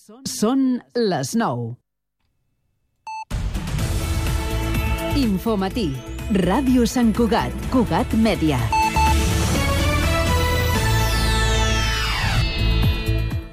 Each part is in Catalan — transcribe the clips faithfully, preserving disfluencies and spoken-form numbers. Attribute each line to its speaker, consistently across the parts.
Speaker 1: Són les nou. Infomatí. Ràdio Sant Cugat. Cugat Mèdia.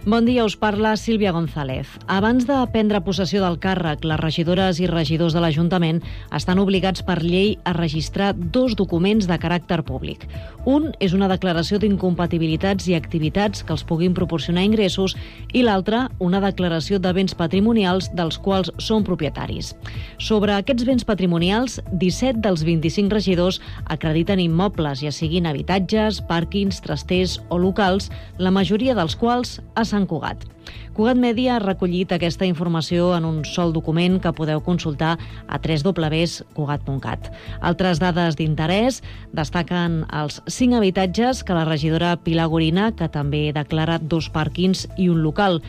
Speaker 2: Bon dia, us parla Sílvia González. Abans de prendre possessió del càrrec, les regidores i regidors de l'Ajuntament estan obligats per llei a registrar dos documents de caràcter públic. Un és una declaració d'incompatibilitats i activitats que els puguin proporcionar ingressos i l'altre, una declaració de béns patrimonials dels quals són propietaris. Sobre aquests béns patrimonials, disset dels vint-i-cinc regidors acrediten immobles, ja siguin habitatges, pàrquings, trasters o locals, la majoria dels quals a Sant Cugat. Cugat Mèdia ha recollit aquesta informació en un sol document que podeu consultar a w w w punt cugat punt cat. Altres dades d'interès destaquen els cinc habitatges que la regidora Pilar Gorina, que també declara dos pàrquings i un local.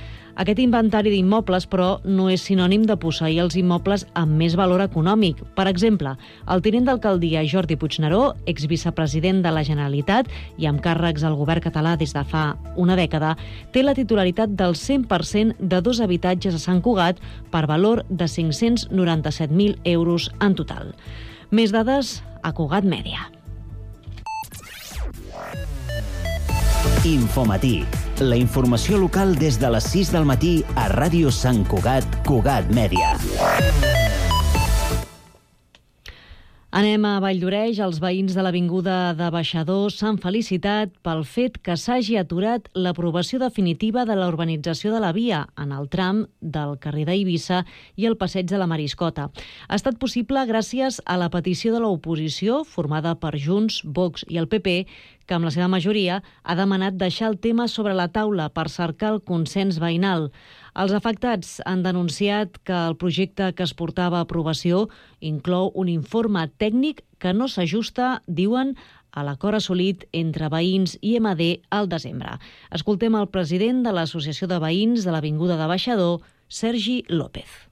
Speaker 2: Aquest inventari d'immobles, però, no és sinònim de posseir els immobles amb més valor econòmic. Per exemple, el tinent d'alcaldia Jordi Puigneró, exvicepresident de la Generalitat i amb càrrecs al govern català des de fa una dècada, té la titularitat del cent per cent de dos habitatges a Sant Cugat per valor de cinc-cents noranta-set mil euros en total. Més dades a Cugat Mèdia.
Speaker 3: Infomatí. La informació local des de les sis del matí a Ràdio Sant Cugat, Cugat Mèdia.
Speaker 2: Anem a Valldoreix. Els veïns de l'Avinguda de Baixador s'han felicitat pel fet que s'hagi aturat l'aprovació definitiva de la urbanització de la via en el tram del carrer d'Eivissa i el passeig de la Mariscota. Ha estat possible gràcies a la petició de l'oposició, formada per Junts, Vox i el P P, que amb la seva majoria ha demanat deixar el tema sobre la taula per cercar el consens veïnal. Els afectats han denunciat que el projecte que es portava a aprovació inclou un informe tècnic que no s'ajusta, diuen, a l'acord assolit entre veïns i M D al desembre. Escoltem el president de l'Associació de Veïns de l'Avinguda de Baixador, Sergi López.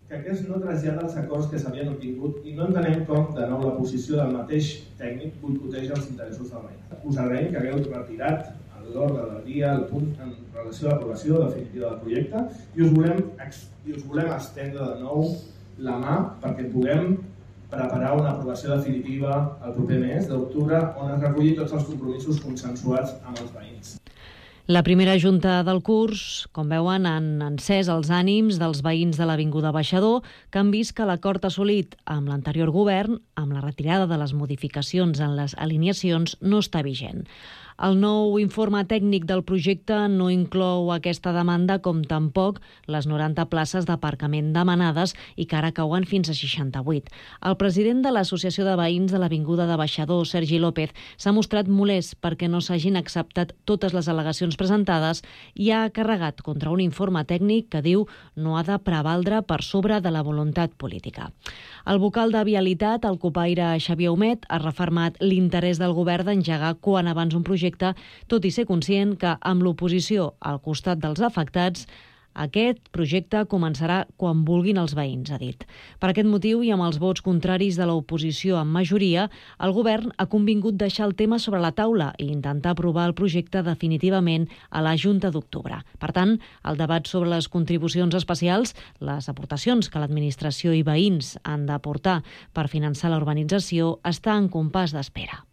Speaker 4: Que aquest no trasllada els acords que s'havien obtingut i no entenem com, de nou, la posició del mateix tècnic boicoteja els interessos del veïn. Us agraïm que hagueu retirat a l'ordre del dia el punt en relació a l'aprovació definitiva del projecte i us volem, i us volem estendre de nou la mà perquè puguem preparar una aprovació definitiva el proper mes d'octubre on es reculli tots els compromisos consensuats amb els veïns.
Speaker 2: La primera junta del curs, com veuen, han encès els ànims dels veïns de l'Avinguda Baixador, que han vist que l'acord assolit amb l'anterior govern, amb la retirada de les modificacions en les alineacions, no està vigent. El nou informe tècnic del projecte no inclou aquesta demanda com tampoc les noranta places d'aparcament demanades i que ara cauen fins a seixanta-vuit. El president de l'Associació de Veïns de l'Avinguda de Baixador, Sergi López, s'ha mostrat molest perquè no s'hagin acceptat totes les al·legacions presentades i ha carregat contra un informe tècnic que diu no ha de prevaldre per sobre de la voluntat política. El vocal de Vialitat, el copaire Xavier Humet, ha refermat l'interès del govern d'engegar quan abans un projecte, tot i ser conscient que amb l'oposició al costat dels afectats, aquest projecte començarà quan vulguin els veïns, ha dit. Per aquest motiu i amb els vots contraris de l'oposició en majoria, el govern ha convingut deixar el tema sobre la taula i intentar aprovar el projecte definitivament a la Junta d'octubre. Per tant, el debat sobre les contribucions especials, les aportacions que l'administració i veïns han d'aportar per finançar la urbanització, està en compàs d'espera.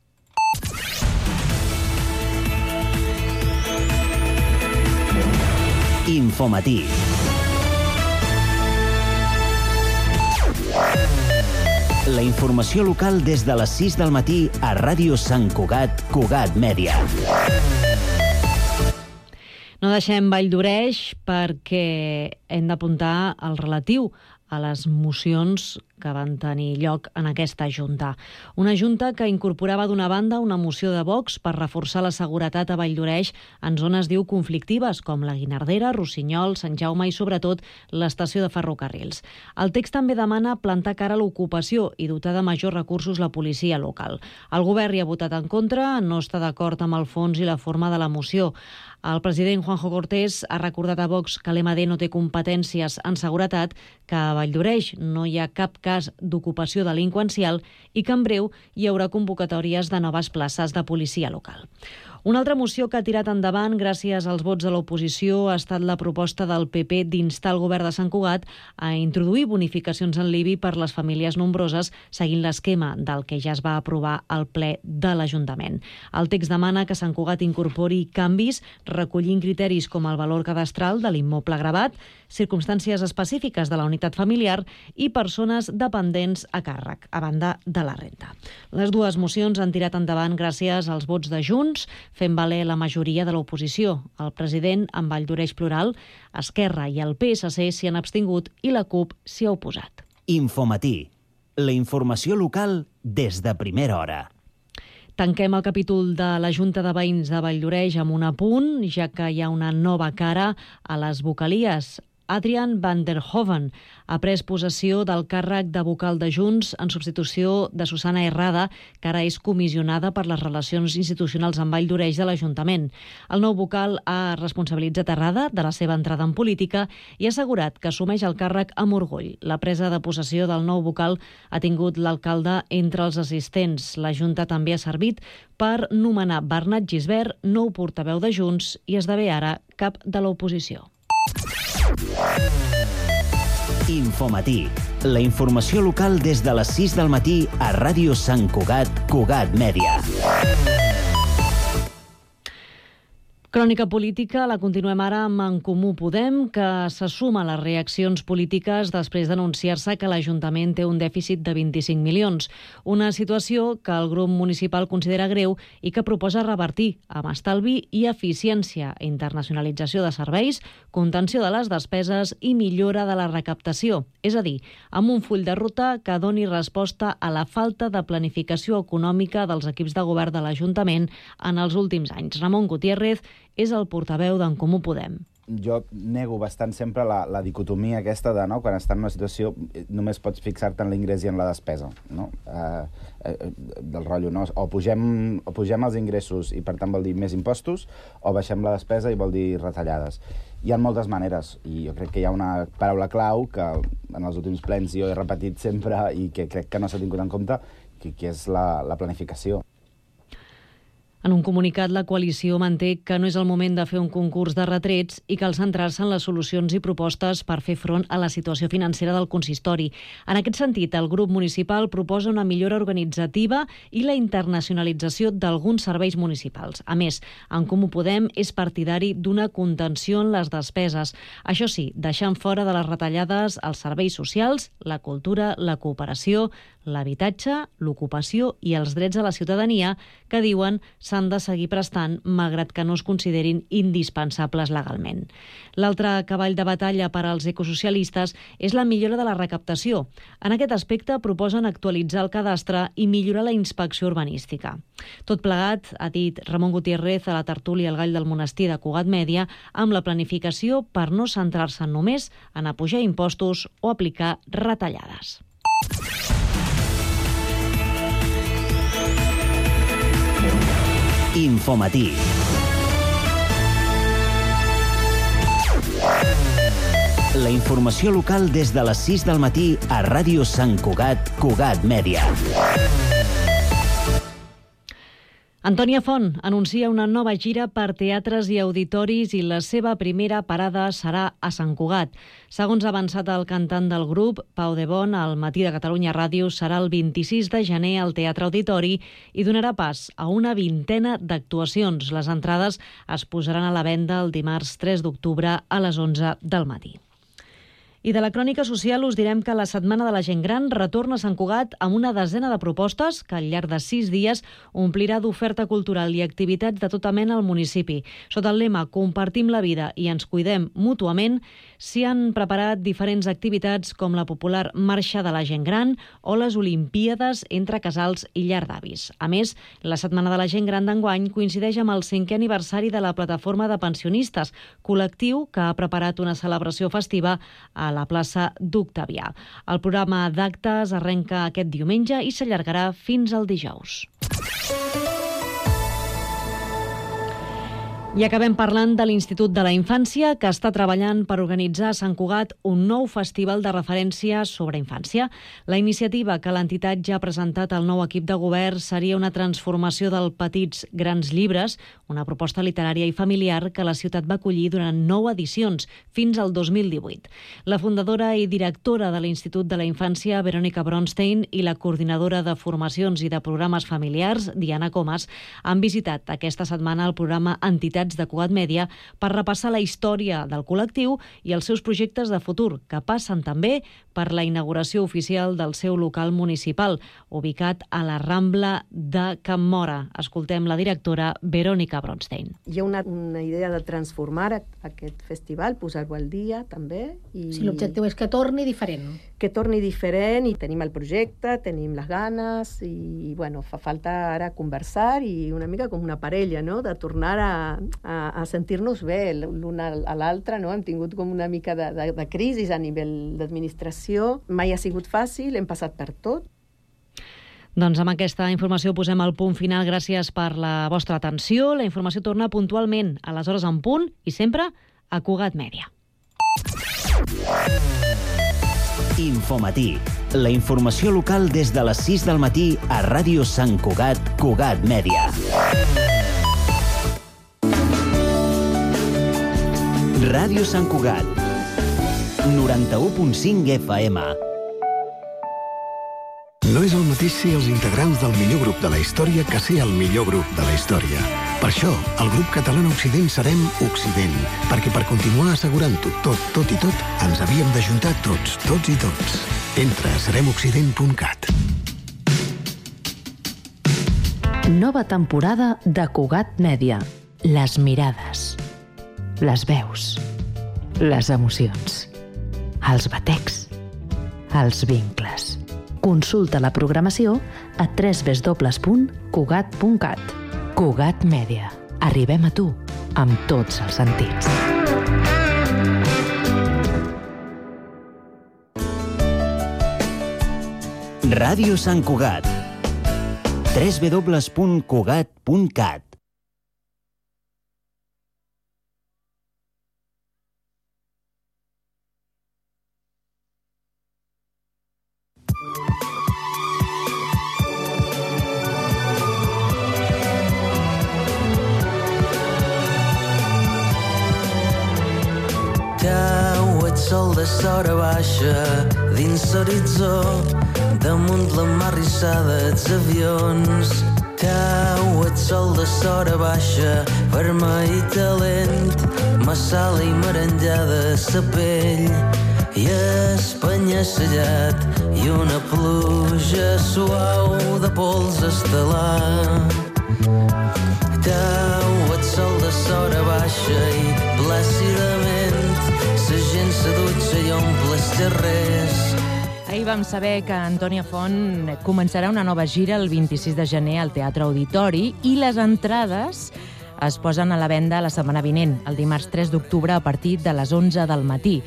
Speaker 3: Infomatí. La informació local des de les sis del matí a Ràdio Sant Cugat, Cugat Mèdia.
Speaker 2: No deixem Valldoreix perquè hem d'apuntar el relatiu a les mocions que van tenir lloc en aquesta Junta. Una Junta que incorporava d'una banda una moció de Vox per reforçar la seguretat a Valldoreix en zones, diu, conflictives, com la Guinardera, Rossinyol, Sant Jaume i, sobretot, l'estació de ferrocarrils. El text també demana plantar cara a l'ocupació i dotar de majors recursos la policia local. El govern hi ha votat en contra, no està d'acord amb el fons i la forma de la moció. El president Juanjo Cortés ha recordat a Vox que l'M D no té competències en seguretat, que a Valldoreix no hi ha cap cas d'ocupació delinqüencial i que en breu hi haurà convocatòries de noves places de policia local. Una altra moció que ha tirat endavant gràcies als vots de l'oposició ha estat la proposta del P P d'instar el govern de Sant Cugat a introduir bonificacions en l'I B I per les famílies nombroses seguint l'esquema del que ja es va aprovar al ple de l'Ajuntament. El text demana que Sant Cugat incorpori canvis recollint criteris com el valor cadastral de l'immoble gravat, circumstàncies específiques de la unitat familiar i persones dependents a càrrec, a banda de la renda. Les dues mocions han tirat endavant gràcies als vots de Junts, fent valer la majoria de l'oposició. El president, amb Valldoreix Plural, Esquerra i el P S C s'hi han abstingut i la CUP s'hi ha oposat.
Speaker 3: Infomatí, la informació local des de primera hora.
Speaker 2: Tanquem el capítol de la Junta de Veïns de Valldoreix amb un apunt, ja que hi ha una nova cara a les vocalies. Adrian van der Hoven ha pres possessió del càrrec de vocal de Junts en substitució de Susana Herrada, que ara és comissionada per les relacions institucionals amb Valldoreix de l'Ajuntament. El nou vocal ha responsabilitzat Herrada de la seva entrada en política i ha assegurat que assumeix el càrrec amb orgull. La presa de possessió del nou vocal ha tingut l'alcalde entre els assistents. La Junta també ha servit per nomenar Bernat Gisbert, nou portaveu de Junts, i esdevé ara cap de l'oposició.
Speaker 3: Infomatí, la informació local des de les sis del matí a Ràdio Sant Cugat, Cugat Mèdia.
Speaker 2: Crònica política la continuem ara amb En Comú Podem, que se suma a les reaccions polítiques després d'anunciar-se que l'Ajuntament té un dèficit de vint-i-cinc milions. Una situació que el grup municipal considera greu i que proposa revertir amb estalvi i eficiència, internacionalització de serveis, contenció de les despeses i millora de la recaptació. És a dir, amb un full de ruta que doni resposta a la falta de planificació econòmica dels equips de govern de l'Ajuntament en els últims anys. Ramon Gutiérrez és el portaveu d'En Comú Podem.
Speaker 5: Jo nego bastant sempre la, la dicotomia aquesta de, no, quan estàs en una situació només pots fixar-te en l'ingrés i en la despesa, no? Eh, eh, del rotllo, no? O pugem, o pugem els ingressos i per tant vol dir més impostos, o baixem la despesa i vol dir retallades. Hi ha moltes maneres i jo crec que hi ha una paraula clau que en els últims plens jo he repetit sempre i que crec que no s'ha tingut en compte, que, que és la, la planificació.
Speaker 2: En un comunicat, la coalició manté que no és el moment de fer un concurs de retrets i cal centrar-se en les solucions i propostes per fer front a la situació financera del consistori. En aquest sentit, el grup municipal proposa una millora organitzativa i la internacionalització d'alguns serveis municipals. A més, En Comú Podem és partidari d'una contenció en les despeses. Això sí, deixant fora de les retallades els serveis socials, la cultura, la cooperació, l'habitatge, l'ocupació i els drets de la ciutadania que diuen s'han de seguir prestant malgrat que no es considerin indispensables legalment. L'altre cavall de batalla per als ecosocialistes és la millora de la recaptació. En aquest aspecte proposen actualitzar el cadastre i millorar la inspecció urbanística. Tot plegat, ha dit Ramon Gutiérrez a la tertúlia El Gall del Monestir de Cugat Mèdia, amb la planificació per no centrar-se només en apujar impostos o aplicar retallades.
Speaker 3: Infomatí. La informació local des de les sis del matí a Ràdio Sant Cugat, Cugat Mèdia.
Speaker 2: Antònia Font anuncia una nova gira per teatres i auditoris i la seva primera parada serà a Sant Cugat. Segons ha avançat el cantant del grup, Pau de Bon, al Matí de Catalunya Ràdio serà el vint-i-sis de gener al Teatre Auditori i donarà pas a una vintena d'actuacions. Les entrades es posaran a la venda el dimarts tres d'octubre a les onze del matí. I de la crònica social us direm que la Setmana de la Gent Gran retorna a Sant Cugat amb una desena de propostes que al llarg de sis dies omplirà d'oferta cultural i activitats de tota mena al municipi. Sota el lema Compartim la vida i ens cuidem mútuament, s'hi han preparat diferents activitats com la popular Marxa de la Gent Gran o les Olimpíades entre casals i llar d'avis. A més, la Setmana de la Gent Gran d'enguany coincideix amb el cinquè aniversari de la Plataforma de Pensionistes, col·lectiu que ha preparat una celebració festiva a la plaça d'Octavià. El programa d'actes arrenca aquest diumenge i s'allargarà fins al dijous. I acabem parlant de l'Institut de la Infància, que està treballant per organitzar a Sant Cugat un nou festival de referència sobre infància. La iniciativa que l'entitat ja ha presentat al nou equip de govern seria una transformació del Petits Grans Llibres, una proposta literària i familiar que la ciutat va acollir durant nou edicions, fins al dos mil divuit. La fundadora i directora de l'Institut de la Infància, Verònica Bronstein, i la coordinadora de formacions i de programes familiars, Diana Comas, han visitat aquesta setmana el programa Entitats de Cugat Mèdia per repassar la història del col·lectiu i els seus projectes de futur, que passen també per la inauguració oficial del seu local municipal, ubicat a la Rambla de Can Móra. Escoltem la directora Verònica Bronstein.
Speaker 6: Hi ha una, una idea de transformar aquest festival, posar-ho al dia també. I
Speaker 7: sí, l'objectiu és que torni diferent.
Speaker 6: Que torni diferent, i tenim el projecte, tenim les ganes, i bueno, fa falta ara conversar i una mica com una parella, no?, de tornar a, a, a sentir-nos bé l'un a l'altre, no? Hem tingut com una mica de, de, de crisi a nivell d'administració, mai ha sigut fàcil, hem passat per tot.
Speaker 2: Doncs amb aquesta informació posem el punt final. Gràcies per la vostra atenció. La informació torna puntualment a les hores en punt i sempre a Cugat Mèdia.
Speaker 3: Infomatí, la informació local des de les sis del matí a Ràdio Sant Cugat, Cugat Mèdia. Ràdio Sant Cugat, noranta-u punt cinc F M.
Speaker 8: No és el mateix ser els integrants del millor grup de la història que ser el millor grup de la història. Per això, el grup català Occident serem Occident, perquè per continuar assegurant-ho tot, tot i tot, ens havíem d'ajuntar tots, tots i tots. Entra a serem occident punt cat.
Speaker 1: Nova temporada de Cugat Mèdia. Les mirades, les veus, les emocions, els batecs, els vincles. Consulta la programació a w w w punt cugat punt cat. Cugat Mèdia. Arribem a tu amb tots els sentits.
Speaker 3: Ràdio Sant Cugat. w w w punt cugat punt cat.
Speaker 9: Sol de sora baixa dins l'horitzó, damunt la mar rissada els avions. Cau el sol de sora baixa, vermell i talent, massala i merenjada sa pell, i Espanya sellat i una pluja suau de pols estel·lar. Cau el sol de sora baixa i plàcidament la gent se dutxa i omple els carrers.
Speaker 10: Ahir vam saber que Antònia Font començarà una nova gira el vint-i-sis de gener al Teatre Auditori i les entrades es posen a la venda la setmana vinent, el dimarts tres d'octubre a partir de les onze del matí.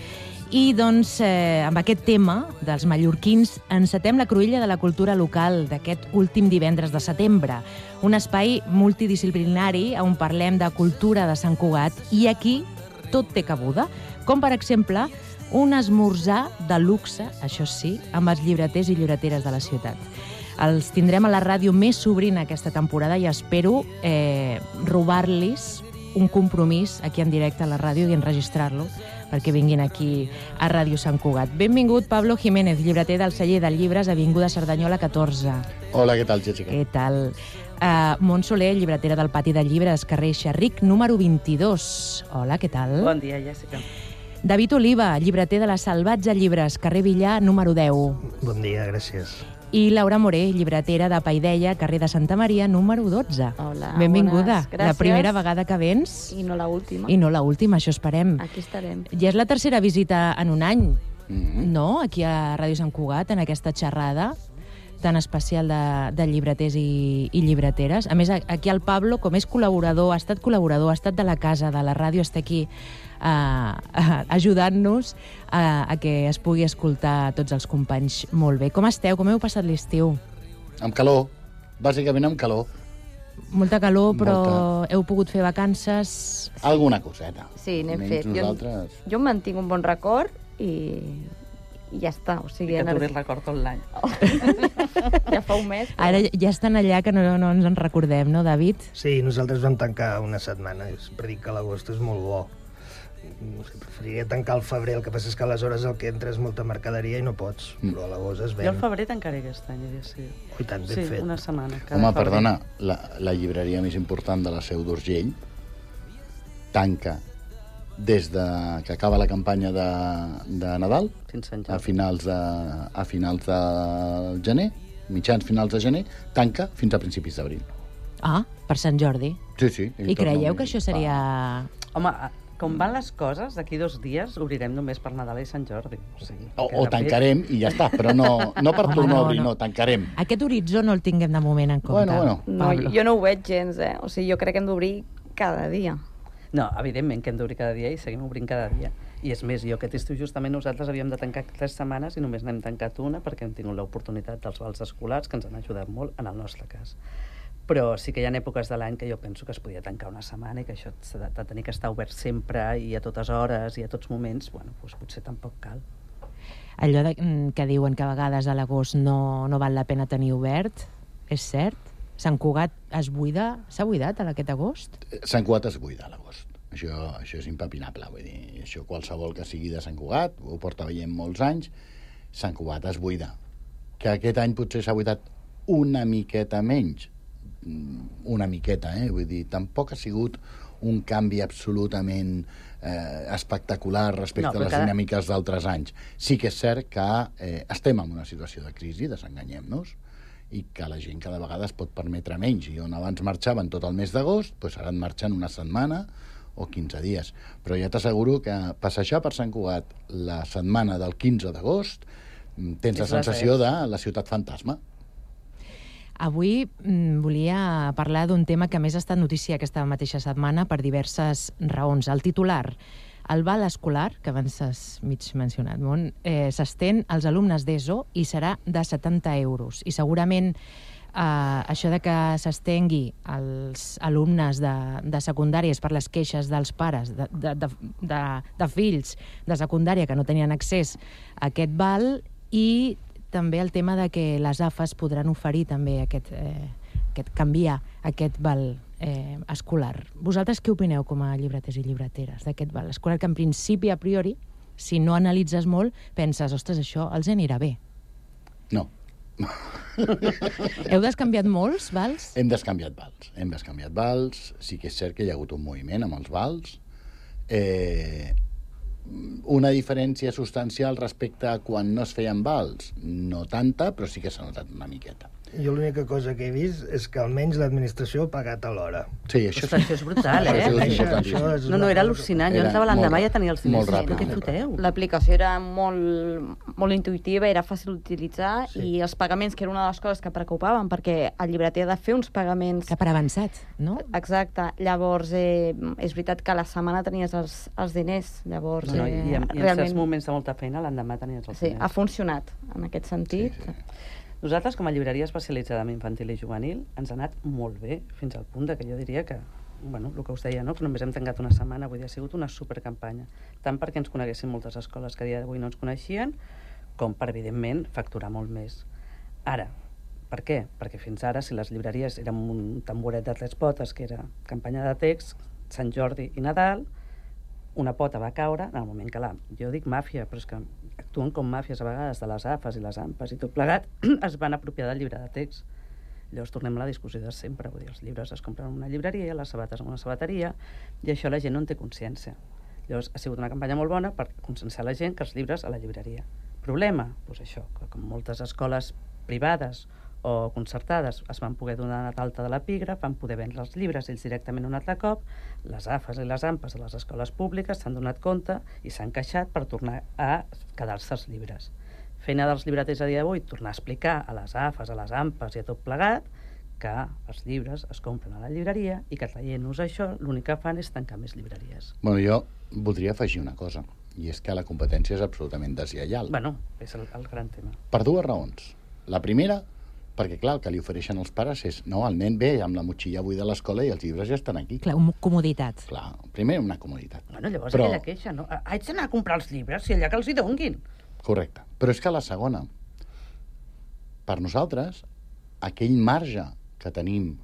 Speaker 10: I doncs, eh, amb aquest tema dels mallorquins, encetem la cruïlla de la cultura local d'aquest últim divendres de setembre. Un espai multidisciplinari on parlem de cultura de Sant Cugat i aquí tot té cabuda, com per exemple un esmorzar de luxe, això sí, amb els llibreters i llibreteres de la ciutat. Els tindrem a la ràdio més sobrina aquesta temporada i espero eh, robar-los un compromís aquí en directe a la ràdio i enregistrar-lo perquè vinguin aquí a Ràdio Sant Cugat. Benvingut, Pablo Jiménez, llibreter del celler de llibres, Avinguda Cerdanyola catorze.
Speaker 11: Hola, què tal, Jessica?
Speaker 10: Què tal? Uh, Montse Soler, llibretera del Pati de Llibres, carrer Xerric, número vint-i-dos. Hola, què tal?
Speaker 12: Bon dia, Jessica.
Speaker 10: David Oliva, llibreter de la Salvatge Llibres, carrer Villar, número deu.
Speaker 11: Bon dia, gràcies.
Speaker 10: I Laura Moré, llibretera de Paideia, carrer de Santa Maria, número dotze.
Speaker 12: Hola,
Speaker 10: benvinguda.
Speaker 12: bones, gràcies.
Speaker 10: La primera vegada que vens.
Speaker 12: I no la última.
Speaker 10: I no la última, això esperem.
Speaker 12: Aquí estarem.
Speaker 10: Ja és la tercera visita en un any,
Speaker 11: Mm-hmm.
Speaker 10: no?, aquí a Ràdio Sant Cugat, en aquesta xerrada tan especial de, de llibreters i, i llibreteres. A més, aquí el Pablo, com és col·laborador, ha estat col·laborador, ha estat de la casa, de la ràdio, està aquí uh, uh, ajudant-nos a, a que es pugui escoltar tots els companys molt bé. Com esteu? Com heu passat l'estiu?
Speaker 11: Amb calor, bàsicament amb calor.
Speaker 10: Molta calor, però
Speaker 12: Molta.
Speaker 10: heu pogut fer vacances...
Speaker 12: Alguna coseta.
Speaker 13: Sí, n'hem
Speaker 12: Menys
Speaker 13: fet. Jo,
Speaker 12: nosaltres...
Speaker 13: jo em mantinc un bon record i, i ja està. O sigui,
Speaker 14: I que
Speaker 13: ener-
Speaker 14: duri el record tot l'any.
Speaker 13: ja fa un mes.
Speaker 10: Ara ja estan allà que no, no ens en recordem, no, David?
Speaker 11: Sí, nosaltres vam tancar una setmana. Sempre dic que l'agost és molt bo. No sé, preferiria tancar al febrer, el que passa és que aleshores el que entra és molta mercaderia i no pots, mm. però a l'agost es ven.
Speaker 14: Jo al febrer tancaré aquest any, ja sí.
Speaker 11: Oh, i tant, ben
Speaker 14: sí,
Speaker 11: fet.
Speaker 14: una setmana. cada
Speaker 12: Home,
Speaker 14: febrer.
Speaker 12: perdona, la, la llibreria més important de la Seu d'Urgell tanca des de que acaba la campanya de, de Nadal a finals de, a finals de gener, mitjans finals de gener, tanca fins a principis d'abril.
Speaker 10: Ah, per Sant Jordi.
Speaker 12: Sí, sí.
Speaker 10: I creieu que això seria...
Speaker 14: Home, com van les coses, d'aquí dos dies obrirem només per Nadal i Sant Jordi. O, sigui,
Speaker 12: O,
Speaker 14: que
Speaker 12: o
Speaker 14: de fet-
Speaker 12: tancarem i ja està, però no, no per
Speaker 10: Home,
Speaker 12: tornar
Speaker 10: no,
Speaker 12: a obrir,
Speaker 10: no.
Speaker 12: no, tancarem.
Speaker 10: Aquest horitzó no el tinguem de moment en compte.
Speaker 12: Bueno, bueno.
Speaker 13: No,
Speaker 10: Pablo.
Speaker 13: jo no ho veig gens, eh? O sigui, jo crec que hem d'obrir cada dia.
Speaker 14: No, evidentment que hem d'obrir cada dia i seguim obrint cada dia. I és més, jo aquest estiu justament nosaltres havíem de tancar tres setmanes i només n'hem tancat una perquè hem tingut l'oportunitat dels vals escolars que ens han ajudat molt en el nostre cas. Però sí que hi ha èpoques de l'any que jo penso que es podia tancar una setmana i que això s'ha de, de tenir que estar obert sempre i a totes hores i a tots moments, bueno, doncs potser tampoc cal.
Speaker 10: Allò de, mm, que diuen que a vegades a l'agost no, no val la pena tenir obert, és cert? Sant Cugat es buida? S'ha buidat a aquest agost?
Speaker 12: Sant Cugat es buida a l'agost. Això, això és impepinable, vull dir, això qualsevol que sigui de Sant Cugat, ho porta veient molts anys, Sant Cugat es buida. Que aquest any potser s'ha buidat una miqueta menys, una miqueta, eh? Vull dir, tampoc ha sigut un canvi absolutament eh, espectacular respecte
Speaker 14: No,
Speaker 12: no, a les
Speaker 14: cada...
Speaker 12: dinàmiques d'altres anys. Sí que és cert que eh, estem en una situació de crisi, desenganyem-nos, i que la gent cada vegada es pot permetre menys. I on abans marxaven tot el mes d'agost, doncs ara en marxen una setmana o quinze dies. Però ja t'asseguro que passejar per Sant Cugat la setmana del quinze d'agost tens la
Speaker 14: És la
Speaker 12: sensació
Speaker 14: res.
Speaker 12: de la ciutat fantasma.
Speaker 10: Avui mm, volia parlar d'un tema que a més ha estat notícia aquesta mateixa setmana per diverses raons. El titular, el val escolar, que abans has mig mencionat, Mont, eh, s'estén als alumnes d'ESO i serà de setanta euros. I segurament eh, això de que s'estengui als alumnes de, de secundàries per les queixes dels pares de, de, de, de, de fills de secundària que no tenien accés a aquest val, i també el tema de que les A F Es podran oferir també aquest, eh, aquest canviar aquest val eh, escolar. Vosaltres què opineu com a llibreters i llibreteres d'aquest val escolar, que en principi, a priori, si no analitzes molt, penses, ostres, això els anirà bé?
Speaker 12: No.
Speaker 10: Heu descanviat molts vals?
Speaker 12: Hem descanviat vals. Hem descanviat vals. Sí que és cert que hi ha hagut un moviment amb els vals. Eh, una diferència substancial respecte a quan no es feien vals. No tanta, però sí que s'ha notat una miqueta.
Speaker 11: Jo l'única cosa que he vist és que almenys l'administració ha pagat a l'hora.
Speaker 12: Sí, això,
Speaker 14: Ostres, això és brutal, eh?
Speaker 12: Això és
Speaker 11: Això-
Speaker 12: importantíssim.
Speaker 11: això és
Speaker 14: No, no,
Speaker 11: una
Speaker 14: era
Speaker 11: cosa-
Speaker 14: al·lucinant. Jo
Speaker 12: Era
Speaker 14: entrava l'endemà
Speaker 12: molt
Speaker 14: i ja tenia els
Speaker 12: ràpid,
Speaker 14: diners.
Speaker 12: molt ràpid,
Speaker 14: Però què
Speaker 12: molt
Speaker 14: foteu?
Speaker 13: L'aplicació era molt, molt intuïtiva, era fàcil d'utilitzar,
Speaker 11: Sí.
Speaker 13: i els pagaments, que era una de les coses que preocupaven, perquè el llibreter ha de fer uns pagaments...
Speaker 10: Que per avançat, no?
Speaker 13: Exacte. Llavors, eh, és veritat que a la setmana tenies els, els diners. Llavors,
Speaker 14: No, no,
Speaker 13: eh,
Speaker 14: I, en, i en
Speaker 13: realment...
Speaker 14: certs moments de molta feina, l'endemà tenies els
Speaker 13: Sí,
Speaker 14: diners.
Speaker 13: ha funcionat en aquest sentit.
Speaker 12: Sí, sí.
Speaker 14: Nosaltres, com a llibreria especialitzada en infantil i juvenil, ens ha anat molt bé, fins al punt de que jo diria que, bueno, el que us deia, no? que només hem tancat una setmana, vull dir, ha sigut una supercampanya, tant perquè ens coneguessin moltes escoles que a dia d'avui no ens coneixien, com per, evidentment, facturar molt més. Ara, per què? Perquè fins ara, si les llibreries eren un tamboret de tres potes, que era campanya de text, Sant Jordi i Nadal, una pota va caure en el moment que la... Jo dic màfia, però és que actuen com màfies a vegades de les A F Es i les A M P Es i tot plegat, es van apropiar del llibre de text. Llavors tornem a la discussió de sempre, vull dir, els llibres es compren en una llibreria, les sabates en una sabateria, i això la gent no en té consciència. Llavors ha sigut una campanya molt bona per conscienciar la gent que els llibres a la llibreria. Problema? Doncs això, que com moltes escoles privades o concertades es van poder donar d'alta de l'epígraf, van poder vendre els llibres ells directament un altre cop, les A F Es i les A M P Es de les escoles públiques s'han donat compte i s'han queixat per tornar a quedar-se els llibres. Feina dels llibreters a dia d'avui, tornar a explicar a les A F Es, a les A M P Es i a tot plegat que els llibres es compren a la llibreria i que traient-nos això l'únic que fan és tancar més llibreries.
Speaker 12: Bueno, jo voldria afegir una cosa, i és que la competència és absolutament deslleial.
Speaker 14: Bueno, és el, el gran tema.
Speaker 12: Per dues raons. La primera, Perquè, clar, el que li ofereixen els pares és no, el nen ve amb la motxilla buida a l'escola i els llibres ja estan aquí.
Speaker 10: Clar, una comoditat.
Speaker 12: Clar, primer una comoditat.
Speaker 14: Bueno, llavors
Speaker 12: Però...
Speaker 14: aquella queixa, no? Haig d'anar a comprar els llibres, si allà que els hi donguin.
Speaker 12: Correcte. Però és que la segona, per nosaltres, aquell marge que tenim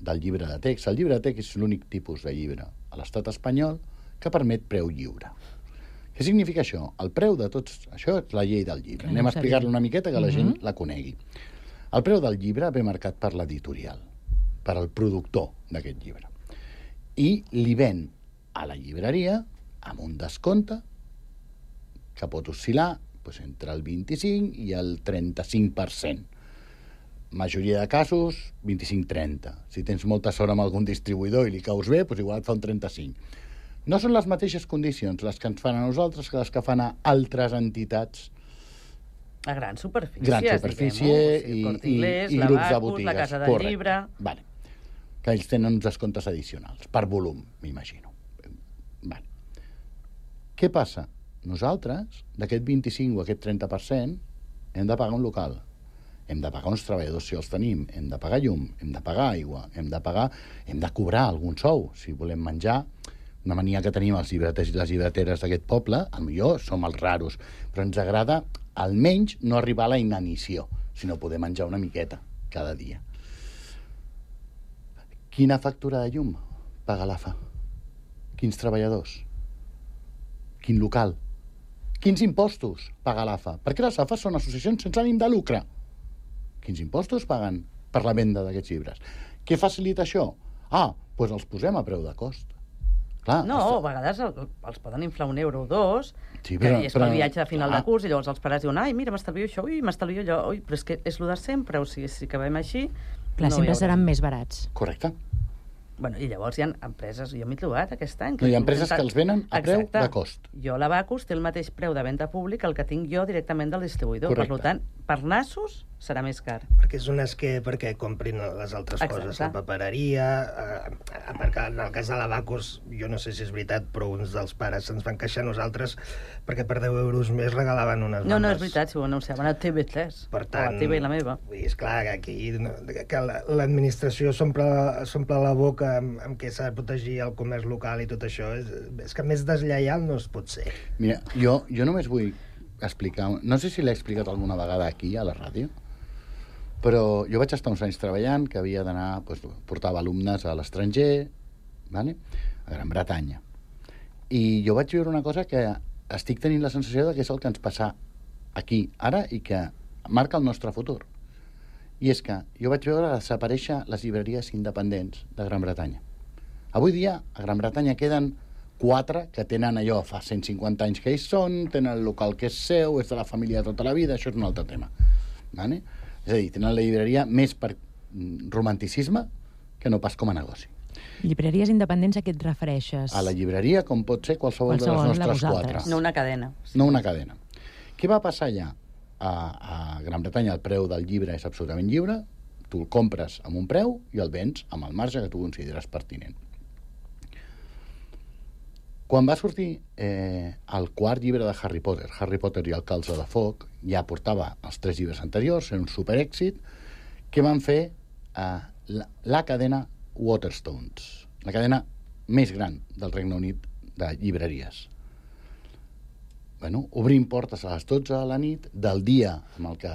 Speaker 12: del llibre de text, el llibre de text és l'únic tipus de llibre a l'estat espanyol que permet preu lliure. Què significa això? El preu de tots... Això és la llei del llibre. Anem a explicar-lo una miqueta que la gent la conegui. El preu del llibre ve marcat per l'editorial, per al productor d'aquest llibre. I li ven a la llibreria amb un descompte que pot oscil·lar doncs, entre el vint-i-cinc i el trenta-cinc per cent. Majoria de casos, vint-i-cinc trenta. Si tens molta sort amb algun distribuïdor i li caus bé, doncs igual et fa un trenta-cinc. No són les mateixes condicions les que ens fan a nosaltres que les que fan a altres entitats.
Speaker 14: A grans superfícies,
Speaker 12: Gran superfície i,
Speaker 14: i, Inglés,
Speaker 12: i, i
Speaker 14: la
Speaker 12: grups de
Speaker 14: Bacus,
Speaker 12: botigues.
Speaker 14: la Casa del
Speaker 12: Correcte.
Speaker 14: Llibre...
Speaker 12: Vale. Que ells tenen uns descomptes addicionals, per volum, m'imagino. Vale. Què passa? Nosaltres, d'aquest vint-i-cinc o aquest trenta per cent, hem de pagar un local. Hem de pagar uns treballadors si els tenim, hem de pagar llum, hem de pagar aigua, hem de pagar, hem de cobrar algun sou, si volem menjar. Una mania que tenim els llibreters i les llibreteres d'aquest poble, potser som els raros, però ens agrada almenys no arribar a la inanició, sinó poder menjar una miqueta cada dia. Quina factura de llum paga l'A F A? Quins treballadors? Quin local? Quins impostos paga l'A F A? Perquè les A F A són associacions sense ànim de lucre. Quins impostos paguen per la venda d'aquests llibres? Què facilita això? Ah, doncs els posem a preu de cost. Clar,
Speaker 14: no,
Speaker 12: està...
Speaker 14: a vegades el, els poden inflar un euro o dos,
Speaker 12: sí, però,
Speaker 14: que és
Speaker 12: però...
Speaker 14: pel viatge de final
Speaker 12: ah.
Speaker 14: de curs, i llavors els pares diuen, ai, mira, m'estalvio això, ui, m'estalvio allò, ui, però és que és el de sempre, o sigui, si acabem així...
Speaker 10: Clar,
Speaker 14: no
Speaker 10: sempre seran més barats.
Speaker 12: Correcte.
Speaker 14: Bueno, i llavors hi ha empreses, jo m'he trobat aquest any...
Speaker 12: No, hi ha empreses que els venen a preu
Speaker 14: Exacte.
Speaker 12: de cost.
Speaker 14: Jo, la Bacus, té el mateix preu de venda públic el que tinc jo directament del distribuïdor.
Speaker 12: Correcte.
Speaker 14: Per tant, per nassos serà més car.
Speaker 11: Perquè és un esquer perquè comprin les altres
Speaker 14: Exacte.
Speaker 11: coses, la papereria, eh, perquè en el cas de la Bacus, jo no sé si és veritat, però uns dels pares se'ns van queixar a nosaltres perquè per deu euros més regalaven unes
Speaker 14: No,
Speaker 11: bandes.
Speaker 14: no, és veritat, si ho anunciaven a T V tres,
Speaker 11: per tant,
Speaker 14: o a T V i la meva.
Speaker 11: Vull dir, és clar que aquí que l'administració s'omple la boca amb, amb què s'ha de protegir el comerç local i tot això, és, és que més deslleial no es pot ser.
Speaker 12: Mira, jo, jo només vull explicar, no sé si l'he explicat alguna vegada aquí a la ràdio, però jo vaig estar uns anys treballant que havia d'anar, doncs, portava alumnes a l'estranger, vale? A Gran Bretanya. I jo vaig veure una cosa que estic tenint la sensació de que és el que ens passa aquí, ara, i que marca el nostre futur. I és que jo vaig veure desaparèixer les llibreries independents de Gran Bretanya. Avui dia, a Gran Bretanya queden quatre que tenen allò, fa cent cinquanta anys que hi són, tenen el local que és seu, és de la família tota la vida, això és un altre tema. Vale? És a dir, tenen la llibreria més per romanticisme que no pas com a negoci.
Speaker 10: Llibreries independents a què et refereixes?
Speaker 12: A la llibreria, com pot ser qualsevol,
Speaker 10: qualsevol
Speaker 12: de les nostres quatre.
Speaker 14: No una cadena.
Speaker 12: No una cadena. Què va passar allà? A, a Gran Bretanya el preu del llibre és absolutament lliure, tu el compres amb un preu i el vens amb el marge que tu consideres pertinent. Quan va sortir eh, el quart llibre de Harry Potter, Harry Potter i el calze de foc, ja portava els tres llibres anteriors, era un superèxit, que van fer eh, la, la cadena Waterstones, la cadena més gran del Regne Unit de llibreries. Bueno, obrim portes a les dotze de la nit del dia amb el que,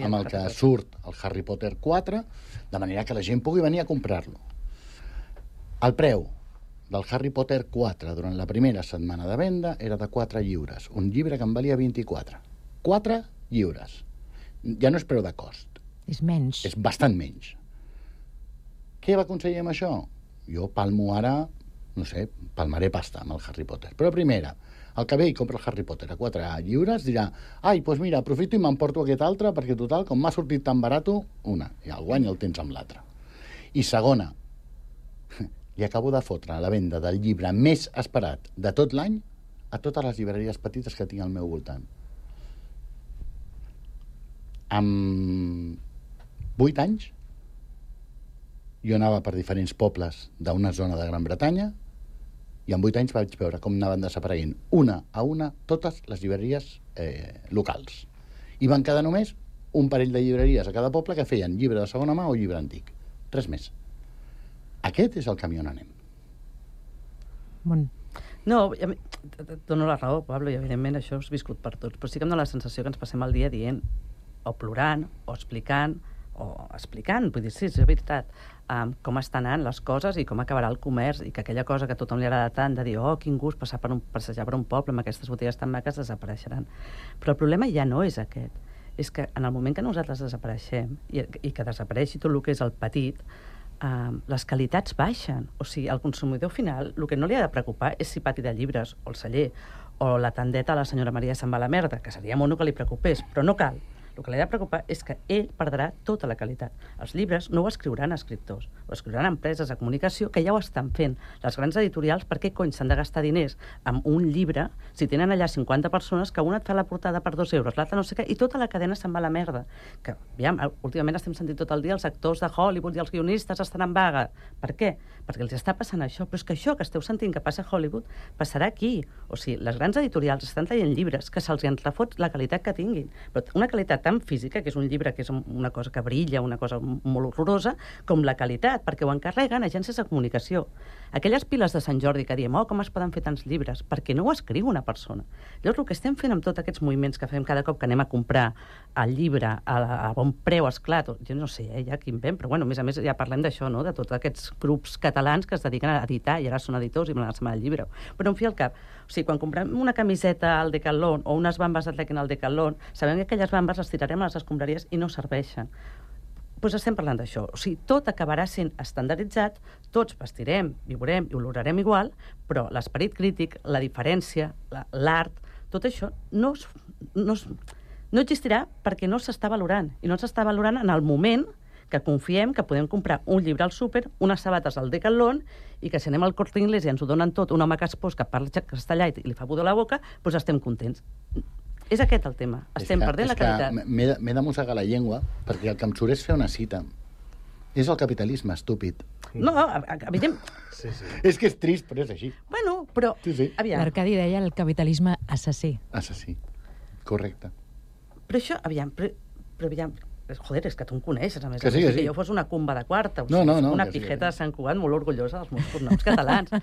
Speaker 12: amb el que surt el Harry Potter quatre, de manera que la gent pugui venir a comprar-lo. El preu del Harry Potter quatre durant la primera setmana de venda era de quatre lliures, un llibre que en valia vint-i-quatre. quatre lliures. Ja no és preu de cost.
Speaker 10: És menys.
Speaker 12: És bastant menys. Què va aconseguir amb això? Jo palmo ara, no sé, palmaré pasta amb el Harry Potter. Però primera, el que ve i compra el Harry Potter a quatre lliures dirà, ai, doncs mira, aprofito i m'emporto aquest altre perquè total, com m'ha sortit tan barato, una, i el guany el tens amb l'altre. I segona, li acabo de fotre a la venda del llibre més esperat de tot l'any a totes les llibreries petites que tinc al meu voltant. Amb vuit anys jo anava per diferents pobles d'una zona de Gran Bretanya i en vuit anys vaig veure com anaven desapareguent una a una totes les llibreries eh, locals. I van quedar només un parell de llibreries a cada poble que feien llibre de segona mà o llibre antic. Res més. Aquest és el camí on anem.
Speaker 10: Bon.
Speaker 14: No, et dono la raó, Pablo, i evidentment això és viscut per tots, però sí que em dóna la sensació que ens passem el dia dient, o plorant, o explicant, o explicant, vull dir, sí, és veritat, um, com estan anant les coses i com acabarà el comerç, i que aquella cosa que a tothom li agrada tant de dir, oh, quin gust passar per un, passejar per un poble amb aquestes botigues tan maques, desapareixeran. Però el problema ja no és aquest. És que en el moment que nosaltres desapareixem, i, i que desapareixi tot el que és el petit, Uh, les qualitats baixen. O sigui, al consumidor final el que no li ha de preocupar és si pati de llibres, o el celler, o la tendeta a la senyora Maria se'n va a la merda, que seria mono que li preocupés, però no cal. El que li ha de preocupar és que ell perdrà tota la qualitat. Els llibres no ho escriuran escriptors, ho escriuran empreses de comunicació que ja ho estan fent. Les grans editorials, per què cony s'han de gastar diners amb un llibre si tenen allà cinquanta persones que una et fa la portada per dos euros, l'altra no sé què, i tota la cadena se'n va a la merda? Que, aviam, últimament estem sentint tot el dia els actors de Hollywood i els guionistes estan en vaga. Per què? Perquè els està passant això. Però és que això que esteu sentint que passa a Hollywood passarà aquí. O sigui, les grans editorials estan traient llibres que se'ls entrefot la qualitat que tinguin. Però una qualitat tan física, que és un llibre que és una cosa que brilla, una cosa molt horrorosa, com la qualitat, perquè ho encarreguen agències de comunicació. Aquelles piles de Sant Jordi que diem, oh, com es poden fer tants llibres? Perquè no ho escriu una persona. Llavors, el que estem fent amb tots aquests moviments que fem cada cop que anem a comprar el llibre a, a bon preu, esclar, jo no sé, eh, ja quin ven, però bueno, a més a més ja parlem d'això, no?, de tots aquests grups catalans que es dediquen a editar i ara són editors i me la el llibre. Però en fi al cap, o sigui, quan comprem una camiseta al Decathlon o unes bambes d'Atlèquin al Decathlon, sabem que aquelles bambes les tirarem a les escombraries i no serveixen. Doncs estem parlant d'això. O sigui, tot acabarà sent estandarditzat, tots vestirem, viurem i olorarem igual, però l'esperit crític, la diferència, l'art, tot això no, es, no, es, no existirà perquè no s'està valorant. I no s'està valorant en el moment que confiem que podem comprar un llibre al súper, unes sabates al Decathlon, i que si anem al Corte Inglés i ens ho donen tot, un home que es pos, que parla castellà i li fa pudor a la boca, doncs estem contents. És aquest el tema. Estem
Speaker 12: que,
Speaker 14: perdent la qualitat.
Speaker 12: M'he de mossegar la llengua perquè el que em surt és fer una cita. És el capitalisme, estúpid.
Speaker 14: No, evident...
Speaker 12: Sí, sí. És que és trist, però és així.
Speaker 14: Bueno, però...
Speaker 12: Sí, sí.
Speaker 10: L'Arcadi deia el capitalisme assassí.
Speaker 12: Assassí, correcte.
Speaker 14: Però això, aviam, però, però aviam... Joder, és que tu em coneixes, a més.
Speaker 12: Que sí,
Speaker 14: a més,
Speaker 12: que sí.
Speaker 14: Que jo fos una cumba de quarta. O
Speaker 12: no,
Speaker 14: sigui,
Speaker 12: no, no.
Speaker 14: Una
Speaker 12: sí,
Speaker 14: pijeta de Sant Cugat molt orgullosa dels meus cognoms catalans.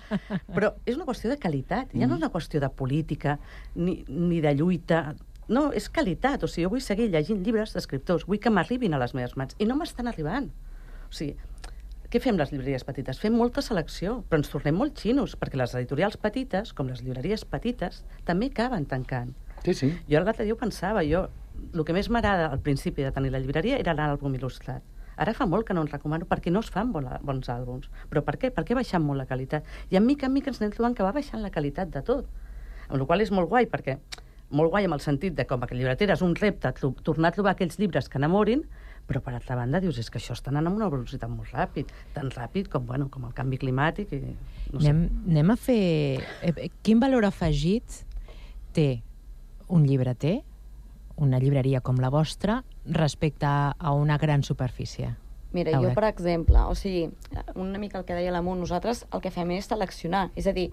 Speaker 14: Però és una qüestió de qualitat. Ja no és una qüestió de política ni, ni de lluita. No, és qualitat. O sigui, jo vull seguir llegint llibres d'escriptors. Vull que m'arribin a les meves mans. I no m'estan arribant. O sigui, què fem les llibreries petites? Fem molta selecció, però ens tornem molt xinos, perquè les editorials petites, com les llibreries petites, també acaben tancant.
Speaker 12: Sí, sí.
Speaker 14: Jo l'altre dia ho pensava, jo... El que més m'agrada al principi de tenir la llibreria era l'àlbum il·lustrat. Ara fa molt que no en recomano perquè no es fan bona, bons àlbums. Però per què? Perquè ha baixat molt la qualitat. I en mica en mica ens anem trobant que va baixant la qualitat de tot. Amb la qual és molt guai, perquè molt guai amb el sentit de com a llibretera és un repte tornar a trobar aquells llibres que enamorin, però per altra banda dius, és que això està anant amb una velocitat molt ràpid, tan ràpid com, bueno, com el canvi climàtic. I, no sé.
Speaker 10: anem, anem a fer... Quin valor afegit té un llibreter, una llibreria com la vostra, respecte a una gran superfície?
Speaker 13: Mira, jo, per exemple, o sigui, una mica el que deia l'Amunt, nosaltres el que fem és seleccionar, és a dir,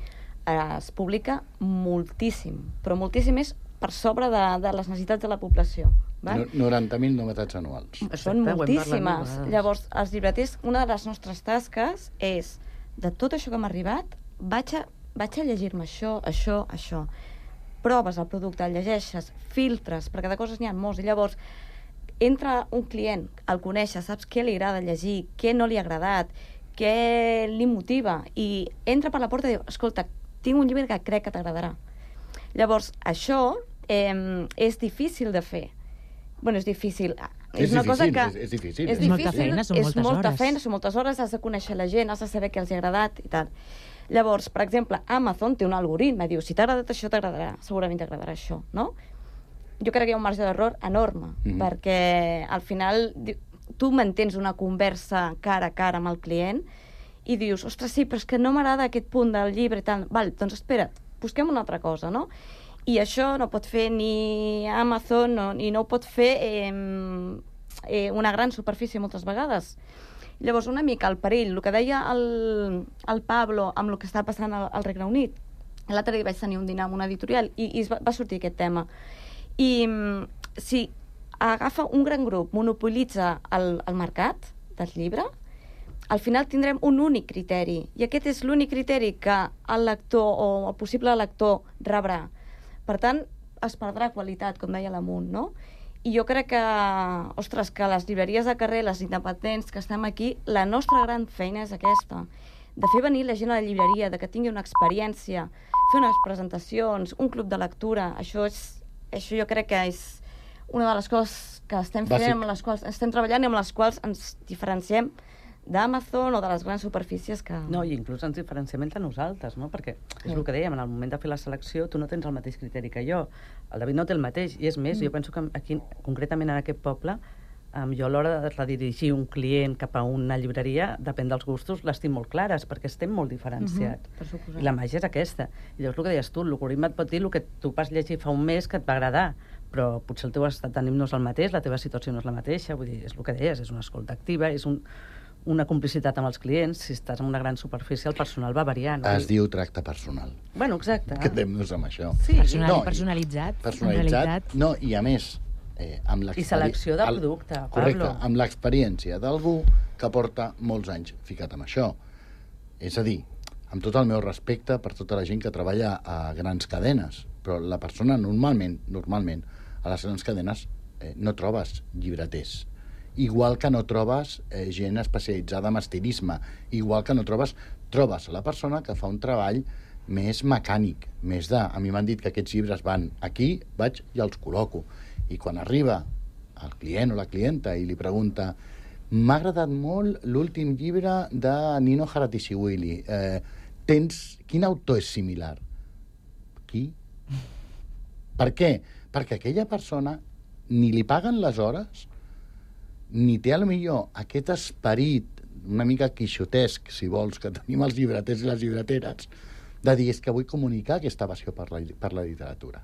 Speaker 13: es publica moltíssim, però moltíssim és per sobre de, de les necessitats de la població. Val?
Speaker 12: noranta mil novetats anuals.
Speaker 13: Són moltíssimes. Llavors, els llibreters, una de les nostres tasques és, de tot això que m'ha arribat, vaig a, vaig a llegir-me això, això, això. Proves el producte, el llegeixes, filtres, perquè de coses n'hi ha molts, i llavors entra un client, el coneixes, saps què li agrada llegir, què no li ha agradat, què li motiva, i entra per la porta i diu, escolta, tinc un llibre que crec que t'agradarà. Llavors, això eh, és difícil de fer. Bueno, és difícil.
Speaker 12: És,
Speaker 13: és una
Speaker 12: difícil,
Speaker 13: cosa que...
Speaker 12: és, és difícil.
Speaker 13: És,
Speaker 12: és
Speaker 13: difícil,
Speaker 10: molta feina, són
Speaker 13: és
Speaker 10: moltes
Speaker 13: molta
Speaker 10: hores.
Speaker 13: feina, són moltes hores, has de conèixer la gent, has de saber què els ha agradat i tal. Llavors, per exemple, Amazon té un algoritme, diu, si t'ha agradat això, t'agradarà, segurament t'agradarà això, no? Jo crec que hi ha un marge d'error enorme, mm-hmm. perquè al final tu mantens una conversa cara a cara amb el client i dius, ostres, sí, però és que no m'agrada aquest punt del llibre i tal. Val, doncs espera, busquem una altra cosa, no? I això no pot fer ni Amazon no, i no ho pot fer eh, eh, una gran superfície moltes vegades. Llavors, una mica el perill, el que deia el, el Pablo amb el que està passant al, al Regne Unit. L'altre dia vaig tenir un dinar amb una editorial i, i va, va sortir aquest tema. I si agafa un gran grup, monopolitza el, el mercat del llibre, al final tindrem un únic criteri, i aquest és l'únic criteri que el lector o el possible lector rebrà. Per tant, es perdrà qualitat, com deia l'Amunt, no? I jo crec que, ostres, que les llibreries de carrer, les independents que estem aquí, la nostra gran feina és aquesta, de fer venir la gent a la llibreria, de que tingui una experiència, fer unes presentacions, un club de lectura, això, és, això jo crec que és una de les coses que estem fent, amb les quals estem treballant i amb les quals ens diferenciem d'Amazon o de les grans superfícies que...
Speaker 14: No, i inclús ens diferenciem entre nosaltres, no? Perquè és el que dèiem, en el moment de fer la selecció tu no tens el mateix criteri que jo. El David no té el mateix, i és més, mm. jo penso que aquí, concretament en aquest poble, um, jo a l'hora de redirigir un client cap a una llibreria, depèn dels gustos, les tinc molt clares, perquè estem molt diferenciats.
Speaker 13: Mm-hmm,
Speaker 14: I la màgia és aquesta. I llavors el que deies tu, l'algoritme et pot dir el que tu vas llegir fa un mes que et va agradar, però potser el teu estat d'ànim no és el mateix, la teva situació no és la mateixa, vull dir, és el que deies, és una escolta activa, és un... una complicitat amb els clients. Si estàs en una gran superfície, el personal va variant.
Speaker 12: Es no? diu tracte personal.
Speaker 14: Bueno, exacte.
Speaker 12: Quedem-nos amb això.
Speaker 10: Sí. Personal, no, personalitzat.
Speaker 12: Personalitzat. No, i a més, eh, amb
Speaker 14: I selecció de producte,
Speaker 12: el, correcte,
Speaker 14: Pablo.
Speaker 12: amb l'experiència d'algú que porta molts anys ficat amb això. És a dir, amb tot el meu respecte per tota la gent que treballa a grans cadenes, però la persona normalment, normalment, a les grans cadenes eh, no trobes llibreters. Igual que no trobes eh, gent especialitzada en estilisme, igual que no trobes, trobes la persona que fa un treball més mecànic, més de... A mi m'han dit que aquests llibres van aquí, vaig i els col·loco. I quan arriba el client o la clienta i li pregunta m'ha agradat molt l'últim llibre de Nino Haratischvili. Eh, tens... Quin autor és similar? Qui? Per què? Perquè aquella persona ni li paguen les hores, ni té, a lo millor, aquest esperit una mica quixotesc, si vols, que tenim els llibreters i les llibreteres, de dir, és que vull comunicar aquesta passió per la, per la literatura.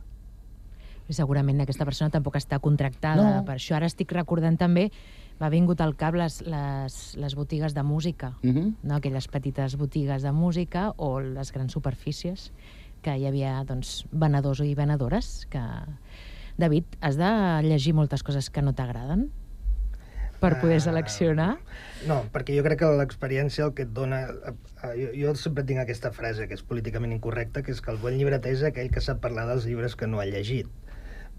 Speaker 10: I segurament aquesta persona tampoc està contractada no. per això. Ara estic recordant també, m'ha vingut al cap les, les, les botigues de música, uh-huh. no? Aquelles petites botigues de música o les grans superfícies, que hi havia doncs, venedors i venedores, que... David, has de llegir moltes coses que no t'agraden? Per poder seleccionar?
Speaker 11: Uh, no, perquè jo crec que l'experiència el que et dona... Uh, jo, jo sempre tinc aquesta frase que és políticament incorrecta, que és que el bon llibreter és aquell que sap parlar dels llibres que no ha llegit.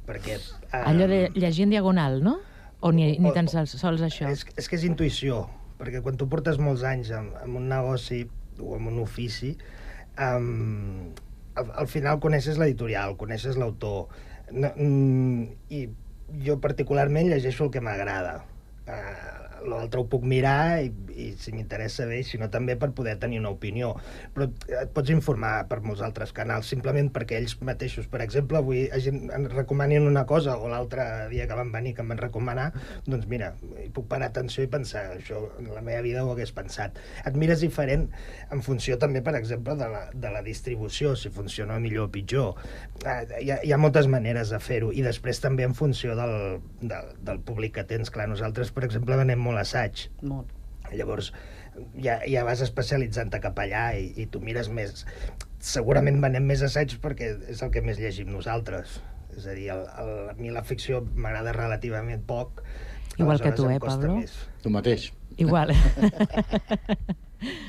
Speaker 11: Perquè... Uh,
Speaker 10: Allò de llegir en diagonal, no? O ni, ni tan sols, sols això?
Speaker 11: És, és que és intuïció, perquè quan tu portes molts anys en, en un negoci o en un ofici, um, al, al final coneixes l'editorial, coneixes l'autor, no, mm, i jo particularment llegeixo el que m'agrada. Uh, l'altre ho puc mirar i, i si m'interessa bé, si no també per poder tenir una opinió, però et pots informar per molts altres canals, simplement perquè ells mateixos, per exemple, avui em recomanin una cosa o l'altre dia que van venir que em van recomanar, doncs mira, hi puc parar atenció i pensar, això en la meva vida ho hagués pensat. Et mires diferent en funció també, per exemple, de la, de la distribució, si funciona millor o pitjor. Uh, hi, ha, hi ha moltes maneres de fer-ho, i després també en funció del, del, del públic que tens. Clar, nosaltres, per exemple, venem molt assaig.
Speaker 14: Molt.
Speaker 11: Llavors, ja, ja vas especialitzant-te cap allà i, i tu mires més... Segurament venem més assaig perquè és el que més llegim nosaltres. És a dir, el, el, a mi la ficció m'agrada relativament poc.
Speaker 10: Igual que tu, eh, Pablo?
Speaker 11: Més.
Speaker 12: Tu mateix.
Speaker 10: Igual.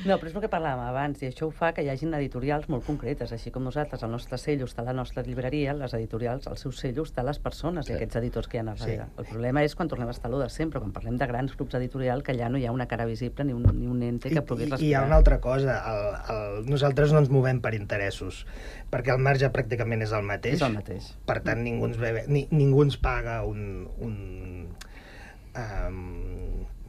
Speaker 14: No, però és el que parlàvem abans, i això ho fa que hi hagin editorials molt concretes, així com nosaltres, el nostre cello està a la nostra llibreria, les editorials, el seu cello està a les persones sí. i aquests editors que hi ha a darrere. Sí. El problema és quan tornem a estar lo de sempre, quan parlem de grans grups editorials, que allà no hi ha una cara visible ni un, ni un ente que pugui respirar.
Speaker 11: I hi ha una altra cosa, el, el, nosaltres no ens movem per interessos, perquè el marge pràcticament és el mateix.
Speaker 14: És el mateix.
Speaker 11: Per tant, ningú ens, ve, ni, ningú ens paga un... un um,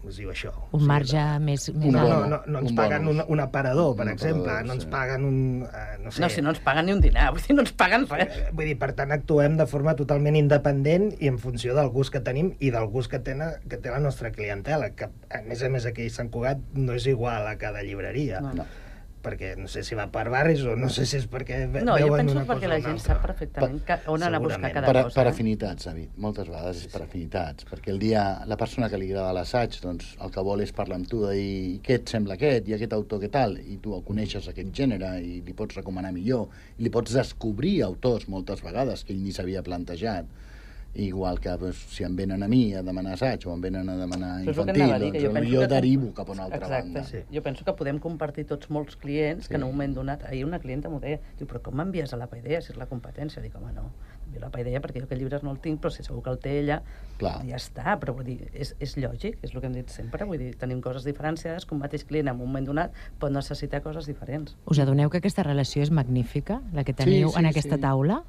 Speaker 11: es diu això.
Speaker 10: Un marge sí, més... més
Speaker 11: no, no, no, no ens un paguen un, un aparador, per un exemple, aparador, no ens sí. paguen un... Uh, no sé.
Speaker 14: No, si no ens paguen ni un dinar, vull dir, no ens paguen res.
Speaker 11: Vull dir, per tant, actuem de forma totalment independent i en funció del gust que tenim i del gust que, tena, que té la nostra clientela, que a més a més aquí a Sant Cugat no és igual a cada llibreria. No, no. Perquè no sé si va per barris o no sé si és perquè ve,
Speaker 14: no,
Speaker 11: veuen una cosa o una altra.
Speaker 14: No, jo penso perquè la gent sap perfectament que, on anar a buscar cada
Speaker 12: per,
Speaker 14: cosa.
Speaker 12: Per afinitats, David, moltes vegades és per afinitats, perquè el dia, la persona que li agrada l'assaig, doncs el que vol és parlar amb tu de dir què et sembla aquest, i aquest autor què tal, i tu coneixes aquest gènere i li pots recomanar millor, i li pots descobrir autors moltes vegades que ell ni s'havia plantejat. igual que doncs, si em venen a mi a demanar assaig o em venen a demanar
Speaker 14: Però és el que
Speaker 12: infantil,
Speaker 14: anava a dir, que jo
Speaker 12: doncs
Speaker 14: penso
Speaker 12: jo
Speaker 14: que-
Speaker 12: derivo cap a una altra
Speaker 14: Exacte.
Speaker 12: banda.
Speaker 14: Sí. Jo penso que podem compartir tots molts clients
Speaker 12: Sí.
Speaker 14: que en un moment donat... Ahir una clienta m'ho deia, diu, però com m'envies a la Paideia si és la competència? Dic, home, no, envio a la Paideia perquè jo aquest llibre no el tinc, però si segur que el té ella,
Speaker 12: Clar.
Speaker 14: ja està. Però vull dir, és, és lògic, és el que hem dit sempre, vull dir, tenim coses diferenciades, que un mateix client en un moment donat pot necessitar coses diferents.
Speaker 10: Us adoneu que aquesta relació és magnífica, la que teniu
Speaker 14: Sí, sí,
Speaker 10: en aquesta
Speaker 14: sí.
Speaker 10: taula?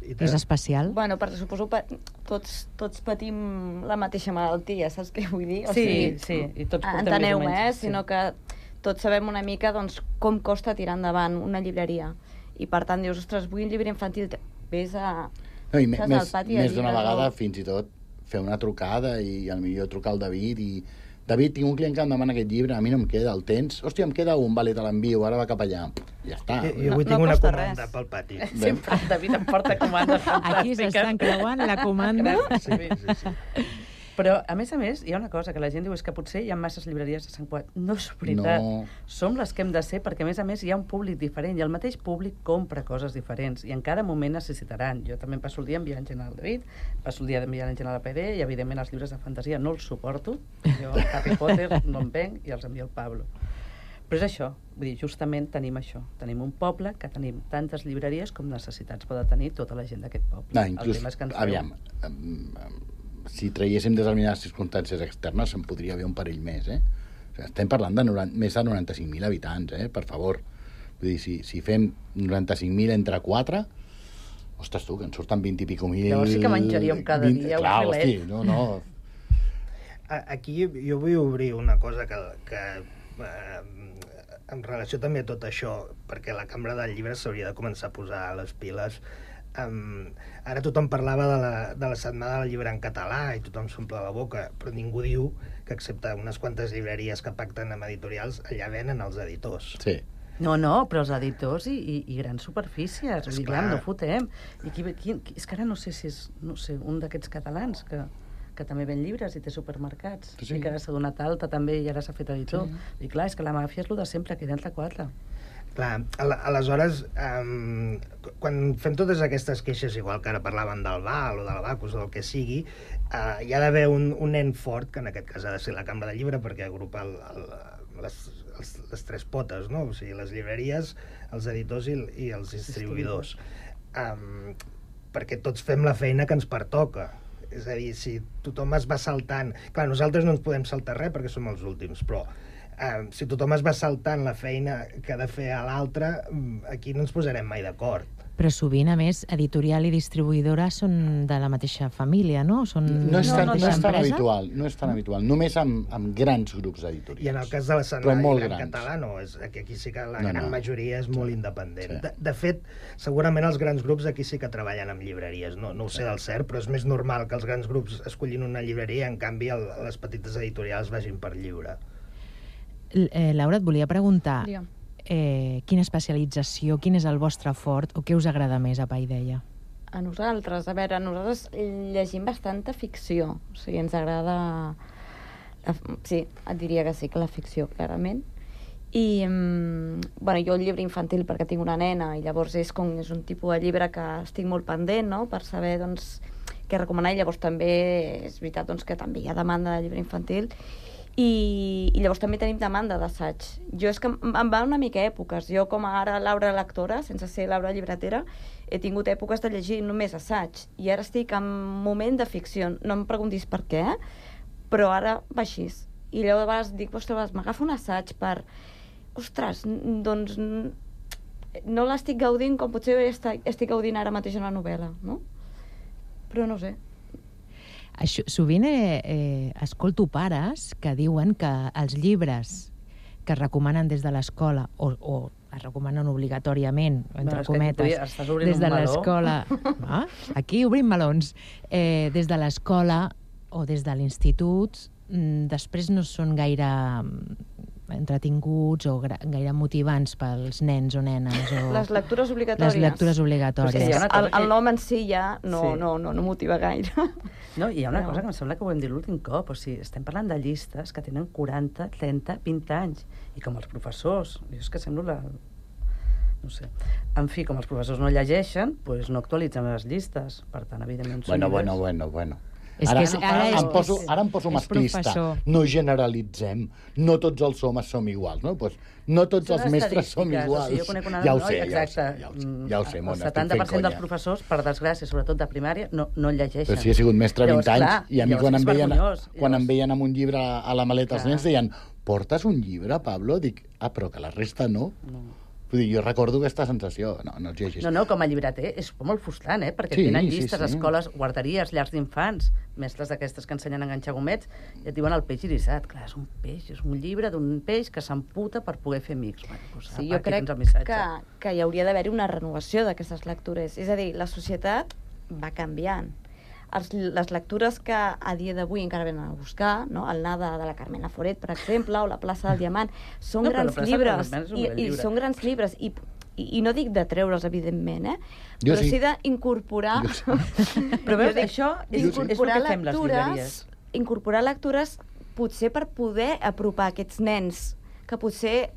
Speaker 10: És especial?
Speaker 13: Bueno, perquè suposo que tots, tots patim la mateixa malaltia, saps què vull dir?
Speaker 14: Sí, sí, i tots portem
Speaker 13: enteneu-me,
Speaker 14: més o menys,
Speaker 13: eh?
Speaker 14: sí.
Speaker 13: Sinó que tots sabem una mica doncs, com costa tirar endavant una llibreria. I per tant dius, ostres, vull un llibre infantil, vés a...
Speaker 12: No, i me-
Speaker 13: saps,
Speaker 12: més,
Speaker 13: al pati de
Speaker 12: més d'una
Speaker 13: llibres,
Speaker 12: vegada,
Speaker 13: no?
Speaker 12: fins i tot, fer una trucada i al millor trucar al David i... David, tinc un client que em demana aquest llibre, a mi no em queda, el tens? Hòstia, em queda un, vale, te l'envio, ara va cap allà. Ja està.
Speaker 11: Jo, jo avui tinc una comanda pel pati.
Speaker 14: Sempre el David em porta comandes fantàstiques.
Speaker 10: Aquí s'estan creuant la comanda.
Speaker 14: Sí, sí, sí. Però, a més a més, hi ha una cosa que la gent diu és que potser hi ha masses llibreries a Sant Cugat. No és veritat.
Speaker 12: No.
Speaker 14: Som les que hem de ser perquè, a més a més, hi ha un públic diferent i el mateix públic compra coses diferents i en cada moment necessitaran. Jo també em passo el dia enviant gent al David, passo el dia enviant gent a la P D i, evidentment, els llibres de fantasia no els suporto. Jo, Harry Potter, no em venc i els envio al Pablo. Però és això, vull dir, justament tenim això. Tenim un poble que tenim tantes llibreries com necessitats pot tenir tota la gent d'aquest poble.
Speaker 12: No,
Speaker 14: El
Speaker 12: inclús,
Speaker 14: tema és que ens
Speaker 12: aviam,
Speaker 14: feu-
Speaker 12: em, em, si traiéssim determinades circumstàncies externes, se'n podria haver un parell més, eh? O sigui, estem parlant de noranta, més de noranta-cinc mil habitants, eh? Per favor. Vull dir, si, si fem noranta-cinc mil entre quatre, ostres, tu, que en surten vint i pico mil...
Speaker 14: Llavors sí que menjaríem cada
Speaker 12: vint
Speaker 14: dia un
Speaker 12: clar,
Speaker 14: filet.
Speaker 12: hosti, no, no...
Speaker 11: A- Aquí jo vull obrir una cosa que, que eh, en relació també a tot això, perquè la Cambra del Llibre s'hauria de començar a posar les piles. Um, ara tothom parlava de la, de la setmana del llibre en català i tothom s'omple la boca, però ningú diu que excepte unes quantes llibreries que pacten amb editorials, allà venen els editors.
Speaker 12: Sí.
Speaker 14: No, no, però els editors i, i, i grans superfícies, vull dir,
Speaker 11: Esclar.
Speaker 14: clar, no fotem. I qui, qui, qui, és que ara no sé si és no sé, un d'aquests catalans que, que també ven llibres i té supermercats,
Speaker 12: Sí.
Speaker 14: i que ara s'ha donat alta també i ara s'ha fet editor.
Speaker 11: Sí.
Speaker 14: I clar, és que la màfia és el de sempre, que entre quatre.
Speaker 11: Clar, al- aleshores, um, quan fem totes aquestes queixes, igual que ara parlaven del Val o del Bacus o del que sigui, uh, hi ha d'haver un, un nen fort, que en aquest cas ha de ser la Cambra de Llibre, perquè agrupa el, el, les, els, les tres potes, no? O sigui, les llibreries, els editors i, i els distribuïdors. Um, perquè tots fem la feina que ens pertoca. És a dir, si tothom es va saltant... Clar, nosaltres no ens podem saltar res perquè som els últims, però eh, si tothom es va saltant la feina que ha de fer a l'altre, mm, aquí no ens posarem mai d'acord.
Speaker 10: Però sovint, a més, editorial i distribuïdora són de la mateixa família, no? Són
Speaker 12: No és tan,
Speaker 10: la
Speaker 12: no,
Speaker 10: mateixa
Speaker 12: és tan
Speaker 10: empresa?
Speaker 12: habitual, no és tan habitual. Només amb, amb grans grups editorials.
Speaker 11: I en el cas de la
Speaker 12: Però
Speaker 11: setmana
Speaker 12: molt
Speaker 11: en
Speaker 12: grans.
Speaker 11: català no, és, aquí, aquí sí que la
Speaker 12: No,
Speaker 11: gran
Speaker 12: no.
Speaker 11: majoria és molt independent.
Speaker 12: Sí.
Speaker 11: De, de fet, segurament els grans grups aquí sí que treballen amb llibreries, no, no ho sé del cert, però és més normal que els grans grups escollin una llibreria, en canvi el, les petites editorials vagin per lliure.
Speaker 10: L- Eh, Laura, et volia preguntar
Speaker 13: Digue'm.
Speaker 10: eh, quina especialització, quin és el vostre fort o què us agrada més a Paideia?
Speaker 13: A nosaltres, a veure, nosaltres llegim bastanta ficció, o sigui, ens agrada... La, sí, et diria que sí, que la ficció, clarament. I, mm, bueno, jo el llibre infantil perquè tinc una nena i llavors és, com, és un tipus de llibre que estic molt pendent, no?, per saber, doncs, què recomanar, i llavors també és veritat, doncs, que també hi ha demanda de llibre infantil i, i llavors també tenim demanda d'assaig. Jo és que em em va una mica èpoques. Jo, com a ara Laura lectora, sense ser Laura llibretera, he tingut èpoques de llegir només assaig i ara estic en un moment de ficció. No em preguntis per què, però ara va així. I llavors dic, ostres, m'agafo un assaig per... Ostres, n- doncs n- no l'estic gaudint com potser estic, estic gaudint ara mateix una novel·la, no? Però no sé.
Speaker 10: Això, sovint eh, eh, escolto pares que diuen que els llibres que es recomanen des de l'escola o, o es recomanen obligatòriament, entre
Speaker 14: és que
Speaker 10: cometes,
Speaker 14: tu ja estàs obrint
Speaker 10: des de
Speaker 14: un meló.
Speaker 10: l'escola... Ah, aquí obrim melons. Eh, des de l'escola o des de l'institut, mm, després no són gaire mm, entretinguts o gra- gaire motivants pels nens o nenes. O...
Speaker 13: Les lectures obligatòries.
Speaker 10: Les lectures obligatòries.
Speaker 14: Però és que hi ha una cosa
Speaker 13: El, el nom en si ja no,
Speaker 14: Sí.
Speaker 13: no, no, no motiva gaire.
Speaker 14: No, i hi ha una
Speaker 13: No.
Speaker 14: cosa que em sembla que ho hem dit l'últim cop, o sigui, estem parlant de llistes que tenen quaranta, trenta, vint anys, i com els professors, jo és que semblo la, no sé. En fi, com els professors no llegeixen, doncs no actualitzem les llistes. Per tant, evidentment, són
Speaker 12: Bueno,
Speaker 14: llibres.
Speaker 12: bueno, bueno, bueno.
Speaker 10: És
Speaker 12: Ara,
Speaker 10: que és- ara
Speaker 12: em
Speaker 10: és-
Speaker 12: poso,
Speaker 10: és-
Speaker 12: ara em poso
Speaker 10: és
Speaker 12: masclista.
Speaker 10: professor.
Speaker 12: No generalitzem. No tots els homes som iguals, no? Pues no tots
Speaker 14: Són
Speaker 12: els mestres som
Speaker 14: estadístiques,
Speaker 12: iguals.
Speaker 14: o sigui, jo conec una
Speaker 12: Ja ho
Speaker 14: noia,
Speaker 12: sé, ja ho sé,
Speaker 14: exacte,
Speaker 12: ja ho sé,
Speaker 14: mm,
Speaker 12: ja ho sé, Mona,
Speaker 14: el
Speaker 12: estic
Speaker 14: setanta per
Speaker 12: fent
Speaker 14: cent dels
Speaker 12: conya.
Speaker 14: professors, per desgràcia, sobretot de primària, no, no llegeixen.
Speaker 12: Però si he sigut mestre vint
Speaker 14: Llavors,
Speaker 12: anys
Speaker 14: clar,
Speaker 12: i a mi
Speaker 14: llavors
Speaker 12: quan
Speaker 14: és
Speaker 12: em, veien,
Speaker 14: vergonyós.
Speaker 12: quan
Speaker 14: Llavors-
Speaker 12: em veien amb un llibre a la maleta els
Speaker 14: Clar.
Speaker 12: nens deien portes un llibre, Pablo? Dic, ah, però que la resta no.
Speaker 14: No.
Speaker 12: Vull dir, jo recordo aquesta sensació. No, no els llegis.
Speaker 14: No, no, com a llibreter és molt frustrant, eh? Perquè
Speaker 12: Sí,
Speaker 14: tenen
Speaker 12: sí,
Speaker 14: llistes,
Speaker 12: sí.
Speaker 14: escoles, guarderies, llars d'infants, mestres d'aquestes que ensenyen a enganxar gomets, i et diuen el peix irisat. Clar, és un peix, és un llibre d'un peix que s'emputa per poder fer amics. Bueno, doncs,
Speaker 13: Sí,
Speaker 14: apa,
Speaker 13: jo
Speaker 14: aquí
Speaker 13: crec
Speaker 14: tens el missatge.
Speaker 13: que, que hi hauria d'haver-hi una renovació d'aquestes lectures. És a dir, la societat va canviant. Els, les lectures que a dia d'avui encara venen a buscar, no? El Nada de la Carmen Laforet, per exemple, o La plaça del Diamant, són
Speaker 14: No, però La
Speaker 13: grans
Speaker 14: plaça del
Speaker 13: llibres.
Speaker 14: Diamant és un
Speaker 13: I,
Speaker 14: bel
Speaker 13: i
Speaker 14: llibre.
Speaker 13: són grans llibres. I, i, i no dic de treure'ls, evidentment, eh?
Speaker 12: Jo
Speaker 13: però
Speaker 12: sí.
Speaker 13: sí d'incorporar...
Speaker 14: Però veus, això és, és el que
Speaker 13: d'incorporar
Speaker 14: fem les llibreries.
Speaker 13: incorporar lectures potser per poder apropar aquests nens que potser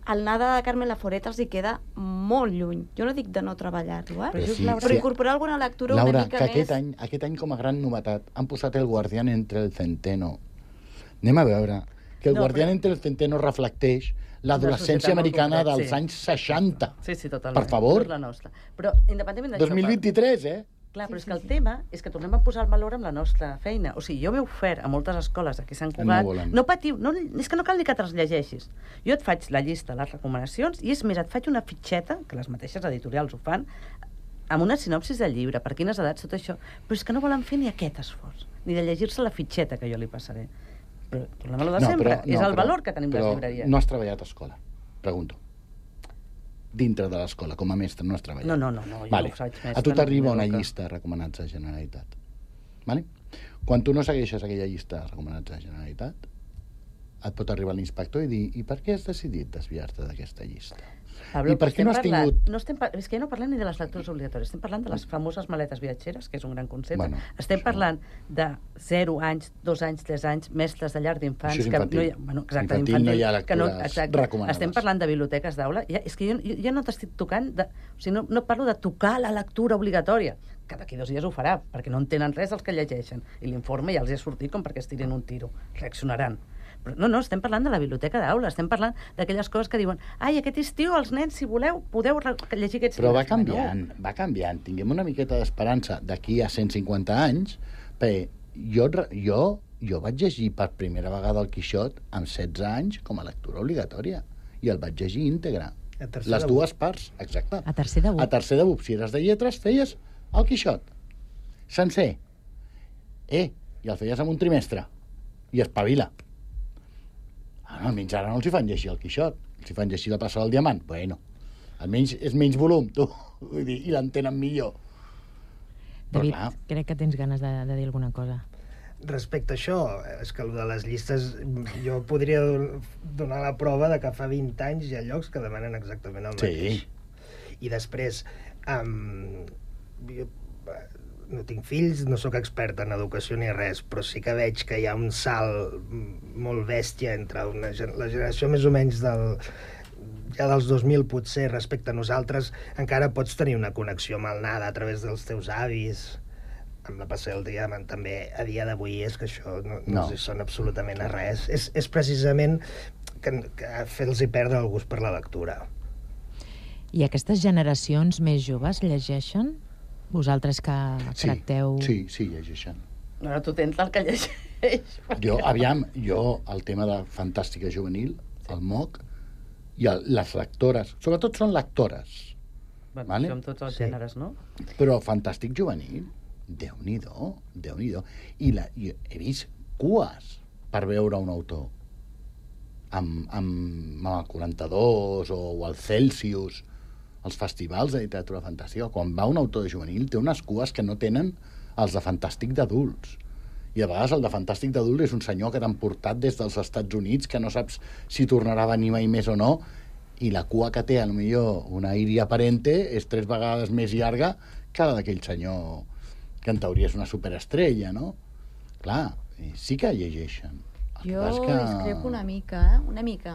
Speaker 13: el Nada de Carmen Laforet els hi queda molt lluny. Jo no dic de no treballar-lo, eh?
Speaker 12: Però sí,
Speaker 13: però
Speaker 12: sí.
Speaker 13: incorporar alguna lectura
Speaker 12: Laura,
Speaker 13: una mica
Speaker 12: que
Speaker 13: més...
Speaker 12: aquest any, aquest any com a gran novetat han posat El guardián entre el centeno. Anem a veure que El
Speaker 14: No,
Speaker 12: guardián
Speaker 14: però-
Speaker 12: entre el centeno reflecteix l'adolescència
Speaker 14: societat molt
Speaker 12: americana
Speaker 14: concreta,
Speaker 12: dels
Speaker 14: sí.
Speaker 12: anys seixanta.
Speaker 14: Sí, sí, totalment.
Speaker 12: Per favor.
Speaker 14: No és la nostra. Però, independentment d'això...
Speaker 12: dos mil vint-i-tres, eh?
Speaker 14: Clar, però és que el tema és que tornem a posar el valor amb la nostra feina. O sigui, jo m'he ofert a moltes escoles aquí a Sant Cugat...
Speaker 12: No volen.
Speaker 14: No patiu, no, és que no cal ni que te les llegeixis. Jo et faig la llista, les recomanacions, i és més, et faig una fitxeta, que les mateixes editorials ho fan, amb una sinopsis del llibre, per quines edats, tot això. Però és que no volen fer ni aquest esforç, ni de llegir-se la fitxeta que jo li passaré. Però tornem a lo de
Speaker 12: No,
Speaker 14: sempre.
Speaker 12: però-
Speaker 14: és
Speaker 12: no,
Speaker 14: el
Speaker 12: però-
Speaker 14: valor que tenim les
Speaker 12: però
Speaker 14: llibreries.
Speaker 12: no has treballat a escola, pregunto. Dintre de l'escola, com a mestre, no has treballat.
Speaker 14: No, no, no, no, jo
Speaker 12: vale.
Speaker 14: no faig mestre,
Speaker 12: A tu
Speaker 14: no
Speaker 12: t'arriba
Speaker 14: tinc
Speaker 12: una
Speaker 14: boca.
Speaker 12: llista de recomanats de Generalitat. Vale? Quan tu no segueixes aquella llista de recomanats de Generalitat, et pot arribar l'inspector i dir i per què has decidit desviar-te d'aquesta llista?
Speaker 14: Pablo,
Speaker 12: I per què
Speaker 14: estem
Speaker 12: no has
Speaker 14: parlant,
Speaker 12: tingut...
Speaker 14: no estem, par- és que ja no parlem ni de les lectures obligatòries, estem parlant de les famoses maletes viatgeres, que és un gran concepte.
Speaker 12: Bueno,
Speaker 14: estem parlant de zero anys, dos anys, tres anys, mestres de llar d'infants...
Speaker 12: Això és
Speaker 14: que
Speaker 12: infantil.
Speaker 14: no hi ha, bueno, exacte,
Speaker 12: Infantil no hi ha
Speaker 14: que no,
Speaker 12: lectures
Speaker 14: exacte.
Speaker 12: recomanades.
Speaker 14: Estem parlant de biblioteques d'aula. Ja, és que jo, jo, jo no t'estic tocant... De, o sigui, no, no parlo de tocar la lectura obligatòria, que d'aquí dos dies ho farà, perquè no entenen res els que llegeixen. I l'informe ja els hi ha sortit com perquè es tirin un tiro. Reaccionaran. Però no, no, estem parlant de la biblioteca d'aula, estem parlant d'aquelles coses que diuen ai, aquest estiu els nens, si voleu, podeu re- llegir aquests
Speaker 12: Però va
Speaker 14: llibres.
Speaker 12: canviant, va canviant. Tinguem una miqueta d'esperança d'aquí a cent cinquanta anys, perquè jo, jo, jo vaig llegir per primera vegada el Quixot amb setze anys com a lectura obligatòria, i el vaig llegir íntegre.
Speaker 11: A tercer
Speaker 12: Les
Speaker 11: de
Speaker 12: dues parts, exacte.
Speaker 10: A tercer de B U P.
Speaker 12: A tercer de B U P, si eres de lletres, feies el Quixot. Sencer. Eh, i el feies en un trimestre. I espavila. Ah, no, almenys ara no els hi fan llegir el Quixot. Els hi fan llegir la plaça del Diamant. Bueno, almenys és menys volum, tu. Vull dir, i l'entenen millor. Però
Speaker 10: David,
Speaker 12: clar,
Speaker 10: crec que tens ganes de, de dir alguna cosa.
Speaker 11: Respecte a això, és que el de les llistes, jo podria don- donar la prova de que fa vint anys hi ha llocs que demanen exactament el
Speaker 12: Sí.
Speaker 11: mateix. I després, um, jo eh, no tinc fills, no sóc expert en educació ni res, però sí que veig que hi ha un salt mm, molt bèstia entre una, gen- la generació més o menys del, ja dels dos mil potser respecte a nosaltres, encara pots tenir una connexió amb el Nada a través dels teus avis, amb la Passió del Diamant també a dia d'avui, és que això no, no,
Speaker 12: No.
Speaker 11: no sona absolutament a res. És, és precisament que, que fer-los perdre el gust per la lectura.
Speaker 10: I aquestes generacions més joves llegeixen? Vosaltres que
Speaker 12: sí,
Speaker 10: tracteu...
Speaker 12: sí, sí, llegeixen.
Speaker 14: Ara tu tens el que llegeix.
Speaker 12: Jo, aviam, jo, el tema de Fantàstica Juvenil, el M O C, i el, les lectores, sobretot són lectores,
Speaker 14: Bueno,
Speaker 12: vale?
Speaker 14: això amb tots els
Speaker 11: Sí.
Speaker 14: gèneres, no?
Speaker 12: però Fantàstic Juvenil, Déu-n'hi-do, Déu-n'hi-do. I, la, I he vist cues per veure un autor amb, amb, amb el quaranta-dos o, o el Celsius, els festivals de literatura fantàstica. Quan va un autor de juvenil té unes cues que no tenen els de Fantàstic d'adults. I a vegades el de Fantàstic d'adult és un senyor que t'han portat des dels Estats Units, que no saps si tornarà a venir mai més o no, i la cua que té, potser una Iria Parente, és tres vegades més llarga que la d'aquell senyor que en teoria és una superestrella, no? Clar, sí que llegeixen. El que
Speaker 13: Jo
Speaker 12: passa és que...
Speaker 13: discrepo una mica, eh? Una mica.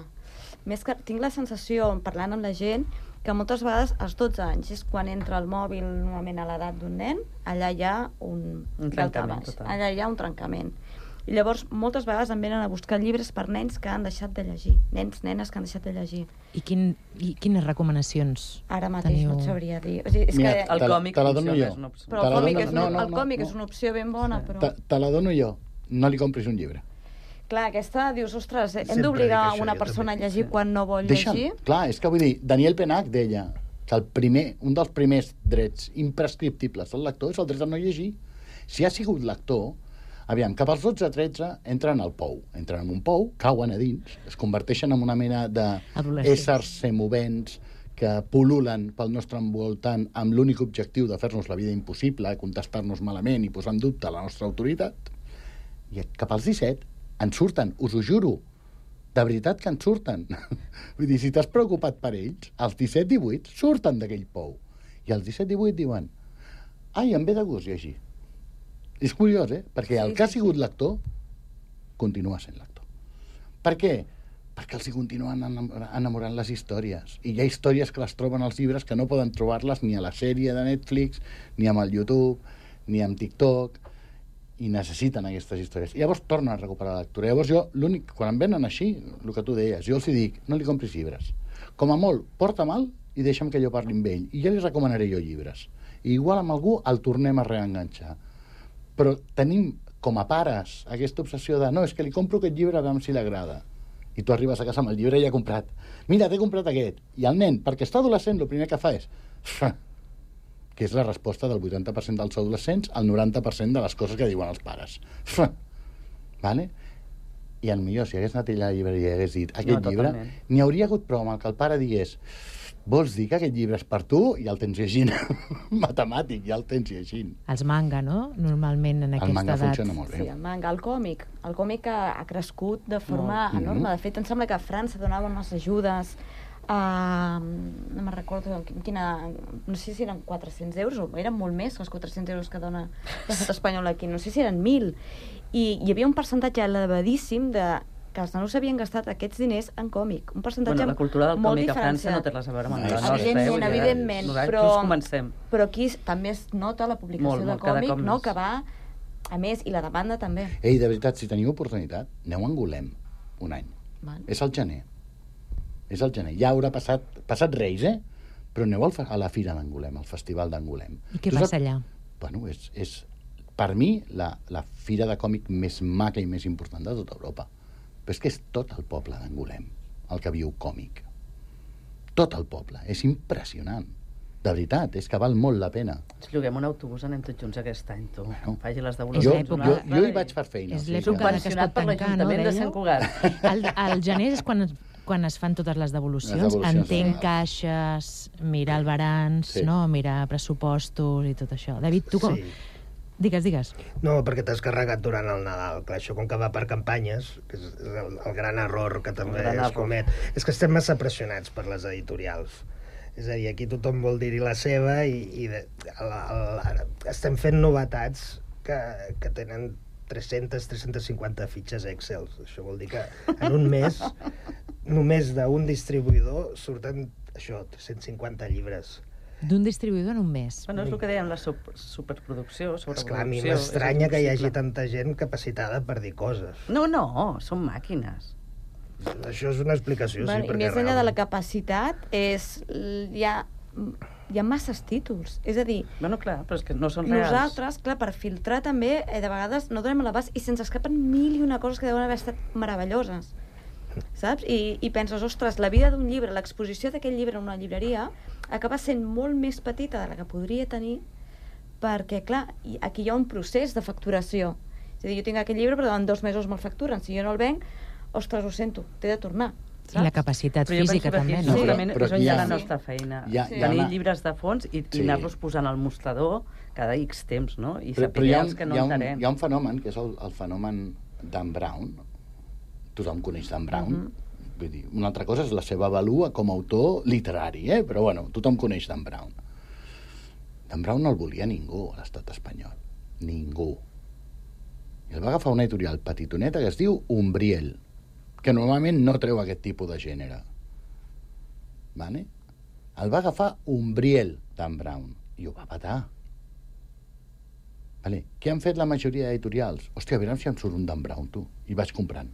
Speaker 13: Més que tinc la sensació, parlant amb la gent, que moltes vegades als dotze anys és quan entra el mòbil normalment a l'edat d'un nen, allà hi ha un...
Speaker 14: Un trencament total.
Speaker 13: Allà hi ha un trencament. I llavors, moltes vegades em venen a buscar llibres per nens que han deixat de llegir. Nens, nenes que han deixat de llegir.
Speaker 10: I, quin, i quines recomanacions
Speaker 13: Ara mateix
Speaker 10: teniu?
Speaker 13: no et sabria dir. O sigui, és
Speaker 12: Mira,
Speaker 13: que...
Speaker 12: el còmic te la dono jo.
Speaker 13: Però el còmic, és, una, no, no, el còmic no. és una opció ben bona, però...
Speaker 12: Te, te la dono jo. No li compris un llibre.
Speaker 13: Clar, aquesta, dius, ostres, hem d'obligar una persona a llegir quan no vol
Speaker 12: Deixa'm,
Speaker 13: llegir?
Speaker 12: clar, és que vull dir, Daniel Penach deia que el primer, un dels primers drets imprescriptibles del lector és el dret a no llegir. Si ha sigut lector, aviam, cap als dotze a tretze entren al pou. Entren en un pou, cauen a dins, es converteixen en una mena d'éssers semovents que pul·lulen pel nostre envoltant amb l'únic objectiu de fer-nos la vida impossible, contestar-nos malament i posar en dubte la nostra autoritat. I cap als disset en surten, us ho juro. De veritat que en surten. Vull dir, si t'has preocupat per ells, els disset divuit surten d'aquell pou. I els disset divuit diuen ai, em ve de gust llegir. És curiós, eh? Perquè el que ha sigut lector continua sent lector. Per què? Perquè els hi continuen enamorant les històries. I hi ha històries que les troben als llibres que no poden trobar-les ni a la sèrie de Netflix, ni amb el YouTube, ni amb TikTok, i necessiten aquestes històries. I llavors tornen a recuperar la lectura. Llavors jo, l'únic, quan em venen així, el que tu deies, jo els hi dic, no li compris llibres. Com a molt, porta mal i deixa'm que jo parli amb ell. I ja li recomanaré jo llibres. I igual amb algú el tornem a reenganxar. Però tenim, com a pares, aquesta obsessió de no, és que li compro aquest llibre a veure si l'agrada. I tu arribes a casa amb el llibre i ja comprat. Mira, t'he comprat aquest. I el nen, perquè està adolescent, el primer que fa és... que és la resposta del vuitanta per cent dels adolescents al noranta per cent de les coses que diuen els pares. Vale? I potser si hagués anat ell a la llibreria i hagués dit aquest no, llibre, n'hi hauria hagut prou amb el que el pare digués vols dir que aquest llibre és per tu? I el tens llegint. Matemàtic, ja el tens llegint.
Speaker 10: Els manga, no? Normalment en aquesta edat.
Speaker 12: El manga funciona molt bé.
Speaker 13: Sí, el manga, el còmic. El còmic ha, ha crescut de forma molt enorme. De fet, em sembla que a França donaven unes ajudes Uh, no me'n recordo quina, no sé si eren quatre-cents euros o eren molt més que els quatre-cents euros que dona l'estat espanyol aquí, no sé si eren mil, i hi havia un percentatge elevadíssim de que els nanos havien gastat aquests diners en còmic, un percentatge
Speaker 14: bueno, la cultura del
Speaker 13: molt
Speaker 14: còmic
Speaker 13: diferenciat.
Speaker 14: a França no té res a veure amb la nostra.
Speaker 13: Evidentment, evidentment, però,
Speaker 14: comencem.
Speaker 13: però aquí també es nota la publicació
Speaker 14: molt,
Speaker 13: de
Speaker 14: molt,
Speaker 13: còmic, no, que va a més, i la demanda també.
Speaker 12: Ei, de veritat, si teniu oportunitat, aneu a Angolem un any.
Speaker 13: Val.
Speaker 12: És al gener. És al gener. Ja haurà passat, passat Reis, eh? Però aneu al, a la Fira d'Angolem, al Festival d'Angolem.
Speaker 10: I què passa allà?
Speaker 12: Bueno, és, és per mi la, la fira de còmic més maca i més important de tota Europa. Però és que és tot el poble d'Angolem el que viu còmic. Tot el poble. És impressionant. De veritat, és que val molt la pena.
Speaker 14: Ens lloguem un autobús, anem tots junts aquest any, tu. Bueno, faci les
Speaker 12: jo,
Speaker 14: devolucions.
Speaker 12: jo, jo hi vaig fer feina.
Speaker 10: És l'època que es pot tancar, no?
Speaker 14: de Sant Cugat.
Speaker 10: El, el gener és quan, quan es fan totes les devolucions. Les devolucions Entenc sí. caixes, mirar el balanç, sí. no? Mirar pressupostos i tot això. David, tu com... Sí. Digues, digues.
Speaker 11: No, perquè t'has carregat durant el Nadal. Clar, això com que va per campanyes, que és el, el gran error que també es comet, és que estem massa pressionats per les editorials. És a dir, aquí tothom vol dir-hi la seva i, i de, la, la, estem fent novetats que, que tenen tres-centes, tres-centes cinquanta fitxes Excel. Això vol dir que en un mes, només d'un distribuïdor, surten això, tres-cents cinquanta llibres.
Speaker 10: D'un distribuïdor en un mes.
Speaker 14: Bueno, és el que dèiem, la super, superproducció, sobreproducció.
Speaker 11: Esclar, a mi m'estranya que hi hagi tanta gent capacitada per dir coses.
Speaker 14: No, no, són màquines.
Speaker 11: Això és una explicació,
Speaker 13: bueno,
Speaker 11: sí.
Speaker 13: I més enllà de la capacitat, és, hi, ha, hi ha masses títols. És a dir,
Speaker 14: bueno, clar, però és que no són reals.
Speaker 13: Nosaltres, clar, per filtrar també, eh, de vegades no donem l'abast i se'ns escapen mil i una coses que deuen haver estat meravelloses. Saps? I, i penses, ostres, la vida d'un llibre, l'exposició d'aquest llibre en una llibreria acaba sent molt més petita de la que podria tenir perquè, clar, aquí hi ha un procés de facturació. És a dir, jo tinc aquest llibre, però en dos mesos me'l facturen. Si jo no el venc, ostres, ho sento, t'he de tornar. Saps?
Speaker 10: I la capacitat física també, no?
Speaker 14: Segurament és on hi ha la nostra feina.
Speaker 12: Ja,
Speaker 14: sí. Tenir llibres de fons i, sí. i anar-los posant al mostrador cada X temps, no? I
Speaker 12: però,
Speaker 14: saber
Speaker 12: però hi ha,
Speaker 14: els que no
Speaker 12: hi ha un,
Speaker 14: entenem.
Speaker 12: Hi ha un fenomen, que és el, el fenomen Dan Brown. Tothom coneix Dan Brown. Mm-hmm. Vull dir, una altra cosa és la seva valua com a autor literari, eh? Però bueno, tothom coneix Dan Brown. Dan Brown no el volia ningú a l'estat espanyol. Ningú. I el va agafar una editorial petitoneta que es diu Umbriel, que normalment no treu aquest tipus de gènere. Vale? El va agafar Umbriel, Dan Brown, i ho va patar. Vale. Què han fet la majoria d'editorials? Hòstia, a veure si em surt un Dan Brown, tu. I vaig comprant.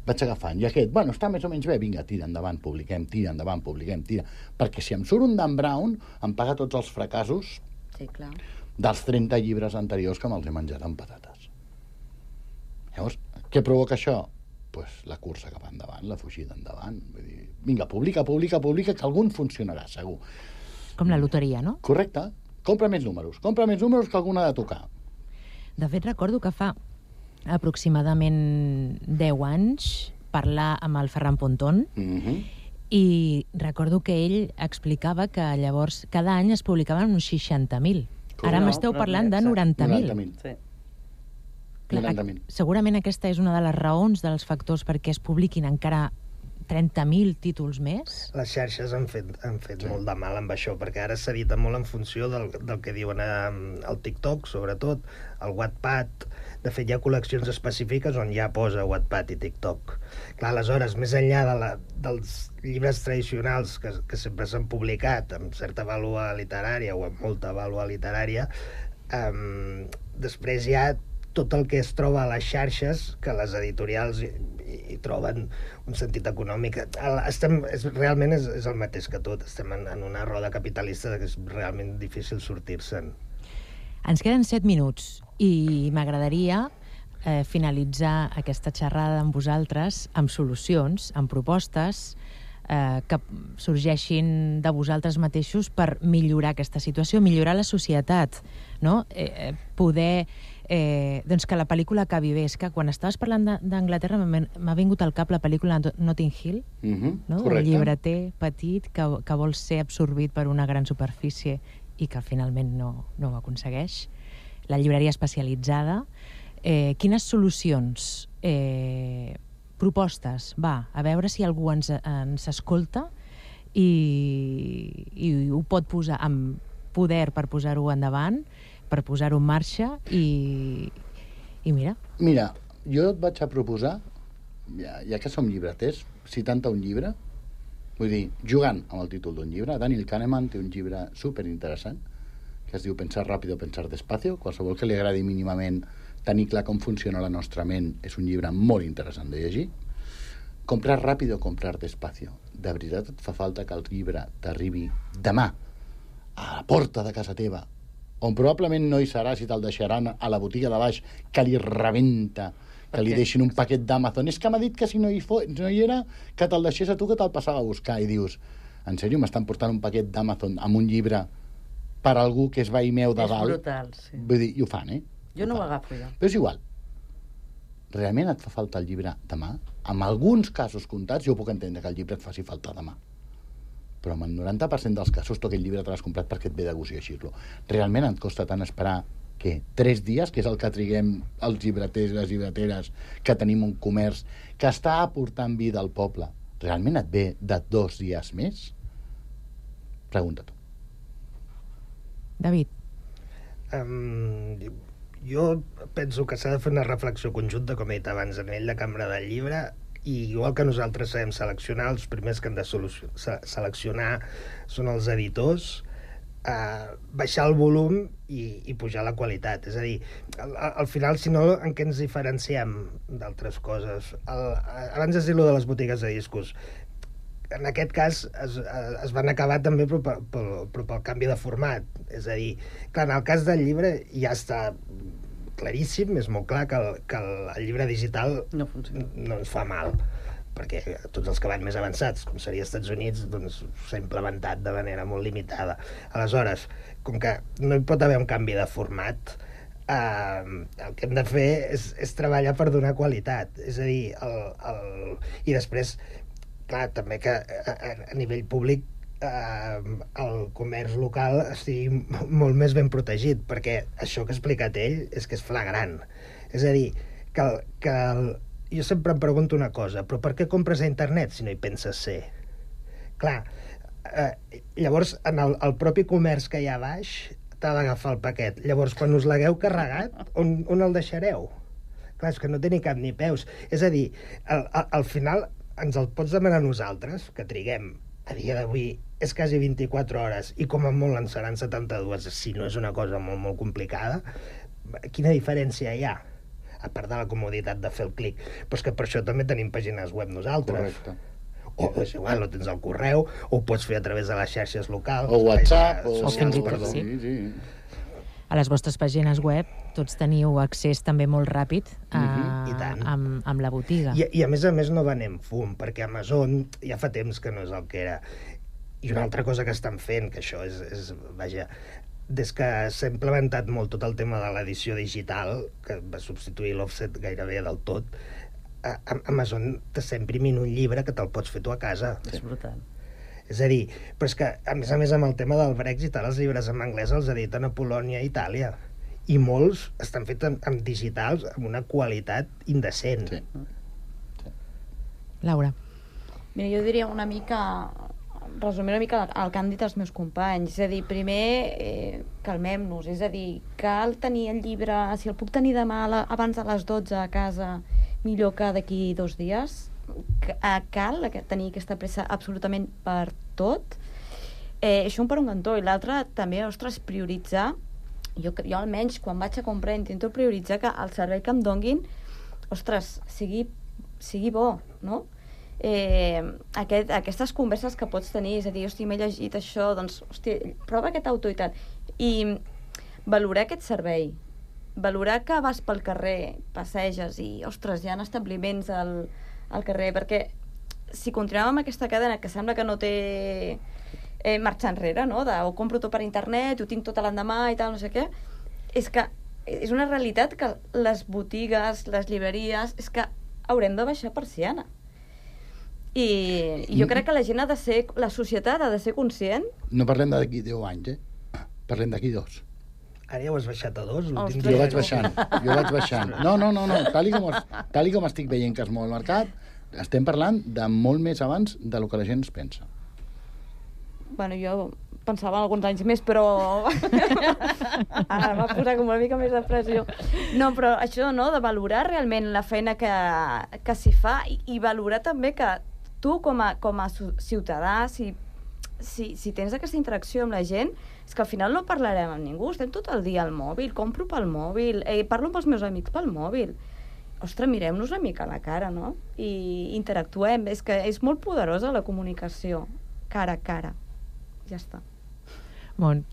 Speaker 12: Vaig agafant. I aquest, bueno, està més o menys bé. Vinga, tira endavant, publiquem, tira endavant, publiquem, tira. Perquè si em surt un Dan Brown, em paga tots els fracassos
Speaker 13: sí, clar. dels
Speaker 12: trenta llibres anteriors que me'ls he menjat amb patates. Llavors, què provoca això? Pues la cursa cap endavant, la fugida endavant. Vull dir, vinga, publica, publica, publica, que algun funcionarà, segur.
Speaker 10: Com la loteria, no?
Speaker 12: Correcte. Compra més números. Compra més números que algun ha de tocar.
Speaker 10: De fet, recordo que fa aproximadament deu anys parlar amb el Ferran Pontón
Speaker 12: mm-hmm.
Speaker 10: i recordo que ell explicava que llavors cada any es publicaven uns seixanta mil. Ara
Speaker 12: no,
Speaker 10: m'esteu parlant de noranta mil.
Speaker 12: noranta mil.
Speaker 14: Sí.
Speaker 10: Clar,
Speaker 12: noranta mil.
Speaker 10: Segurament aquesta és una de les raons dels factors perquè es publiquin encara trenta mil títols més.
Speaker 11: Les xarxes han fet, han fet sí. molt de mal amb això, perquè ara s'edita molt en funció del, del que diuen al TikTok, sobretot, al Wattpad. De fet, hi ha col·leccions específiques on ja posa Wattpad i TikTok. Clar, aleshores, més enllà de la, dels llibres tradicionals que, que sempre s'han publicat amb certa vàlua literària o amb molta vàlua literària, um, després hi ha tot el que es troba a les xarxes, que les editorials hi, hi troben un sentit econòmic. Estem, és, realment és, és el mateix que tot. Estem en, en una roda capitalista que és realment difícil sortir-se'n.
Speaker 10: Ens queden set minuts i m'agradaria eh, finalitzar aquesta xerrada amb vosaltres amb solucions, amb propostes eh, que sorgeixin de vosaltres mateixos per millorar aquesta situació, millorar la societat, no? Eh, poder... Eh, doncs que la pel·lícula acabi bé. És que quan estaves parlant d'Anglaterra m'ha vingut al cap la pel·lícula Notting Hill,
Speaker 12: mm-hmm.
Speaker 10: no? El llibreter petit que, que vol ser absorbit per una gran superfície i que finalment no, no ho aconsegueix. La llibreria especialitzada. Eh, quines solucions, eh, propostes, va, a veure si algú ens, ens escolta i, i ho pot posar amb poder per posar-ho endavant, per posar-ho en marxa i, i mira.
Speaker 12: Mira, jo et vaig a proposar, ja, ja que som llibreters, citant-te un llibre, vull dir, jugant amb el títol d'un llibre, Daniel Kahneman té un llibre superinteressant que es diu Pensar ràpido, pensar despacio. Qualsevol que li agradi mínimament tenir clar com funciona la nostra ment és un llibre molt interessant de llegir. Comprar ràpido, comprar despacio. De veritat et fa falta que el llibre t'arribi demà a la porta de casa teva, on probablement no hi serà si te'l deixaran a la botiga de baix, que li rebenta, que li deixin un paquet d'Amazon. És que m'ha dit que si no hi, fo no hi era, que te'l deixés a tu, que te'l passava a buscar. I dius, en sèrio, m'estan portant un paquet d'Amazon amb un llibre per algú que és veí meu de dalt?
Speaker 14: És brutal, sí.
Speaker 12: Vull dir, i ho fan, eh?
Speaker 14: Jo no ho agafo, jo.
Speaker 12: Però és igual. Realment et fa falta el llibre demà? En alguns casos comptats, jo puc entendre que el llibre et faci falta demà. Però en el noranta per cent dels casos tu aquell llibre te l'has comprat perquè et ve de gust llegir-lo. Realment et costa tant esperar que tres dies, que és el que triguem els llibreters i les llibreteres, que tenim un comerç que està aportant vida al poble, realment et ve de dos dies més? Pregunta tu.
Speaker 10: David.
Speaker 11: Um, jo penso que s'ha de fer una reflexió conjunta, com he dit abans, a nivell de cambra del llibre, i igual que nosaltres sabem seleccionar, els primers que han de seleccionar són els editors, eh, baixar el volum i, i pujar la qualitat. És a dir, al, al final, si no, en què ens diferenciem d'altres coses? El, abans has dit allò de les botigues de discos. En aquest cas es, es van acabar també però pel, pel, però pel canvi de format. És a dir, clar, en el cas del llibre ja està claríssim, és molt clar que el, que el llibre digital
Speaker 14: no,
Speaker 11: no ens fa mal, perquè tots els que van més avançats, com seria als Estats Units, doncs s'ha implementat de manera molt limitada. Aleshores, com que no hi pot haver un canvi de format, eh, el que hem de fer és, és treballar per donar qualitat. És a dir, el, el... i després, clar, també que a, a nivell públic eh, el comerç local estigui molt més ben protegit, perquè això que ha explicat ell és que és flagrant. És a dir, que, que el, jo sempre em pregunto una cosa, però per què compres a internet si no hi penses ser? Clar, eh, llavors en el, el propi comerç que hi ha a baix t'ha d'agafar el paquet. Llavors, quan us l'hagueu carregat, on, on el deixareu? Clar, és que no té ni cap ni peus. És a dir, al, al final ens el pots demanar a nosaltres, que triguem a dia d'avui és quasi vint-i-quatre hores i com a molt en seran setanta-dues, si no és una cosa molt, molt complicada, quina diferència hi ha? A part de la comoditat de fer el clic. Però és que per això també tenim pàgines web nosaltres.
Speaker 12: Correcte.
Speaker 11: O és igual, o tens el correu, o ho pots fer a través de les xarxes locals.
Speaker 12: O WhatsApp, o...
Speaker 10: o fins i tot, sí. sí. A les vostres pàgines web tots teniu accés també molt ràpid a,
Speaker 11: uh-huh. I tant.
Speaker 10: amb, amb la botiga.
Speaker 11: I, I a més a més no venem fum, perquè Amazon ja fa temps que no és el que era. I una altra cosa que estan fent, que això és, és vaja, des que s'ha implementat molt tot el tema de l'edició digital, que va substituir l'offset gairebé del tot, a Amazon t'està imprimint un llibre que te'l pots fer tu a casa.
Speaker 14: És brutal.
Speaker 11: És a dir, però és que, a més a més, amb el tema del Brexit, els llibres en anglès els editen a Polònia i Itàlia. I molts estan fets en, en digitals amb una qualitat indecent.
Speaker 12: Sí.
Speaker 10: Sí. Laura.
Speaker 13: Mira, jo diria una mica... resumir una mica el que han dit els meus companys. És a dir, primer, eh, calmem-nos. És a dir, cal tenir el llibre... Si el puc tenir demà la, abans de les dotze a casa, millor que d'aquí dos dies. Cal tenir aquesta pressa absolutament per tot. Eh, això un per un cantó. I l'altre, també, ostres, prioritzar. Jo, jo almenys, quan vaig a comprar, intento prioritzar que el servei que em donguin, ostres, sigui, sigui bo, no? Eh, aquest, aquestes converses que pots tenir, és a dir, hosti, m'he llegit això, doncs, hosti, prova aquest autor i tal. I valorar aquest servei, valorar que vas pel carrer, passeges i, ostres, hi ha establiments al, al carrer, perquè si continuem amb aquesta cadena que sembla que no té eh, marxa enrere, no? De, ho compro tot per internet, ho tinc tot a l'endemà i tal, no sé què, és que és una realitat que les botigues, les llibreries, és que haurem de baixar persiana. I, i jo crec que la gent ha de ser, la societat ha de ser conscient.
Speaker 12: No parlem d'aquí deu anys, eh? Parlem d'aquí dos.
Speaker 11: Ara ja ho has baixat a dos?
Speaker 12: Jo vaig baixant, jo vaig baixant. No, no, no, no. Tal, i com, tal i com estic veient que es mou el mercat, estem parlant de molt més abans de lo que la gent es pensa.
Speaker 13: Bueno, jo pensava alguns anys més, però ara m'ha posat com una mica més de pressió. No, però això, no?, de valorar realment la feina que, que s'hi fa i, i valorar també que tu, com a, com a ciutadà, si, si, si tens aquesta interacció amb la gent, és que al final no parlarem amb ningú, estem tot el dia al mòbil, compro pel mòbil, eh, parlo amb els meus amics pel mòbil. Ostres, mirem-nos una mica a la cara, no? I interactuem. És que és molt poderosa la comunicació, cara a cara. Ja està.
Speaker 10: Bon.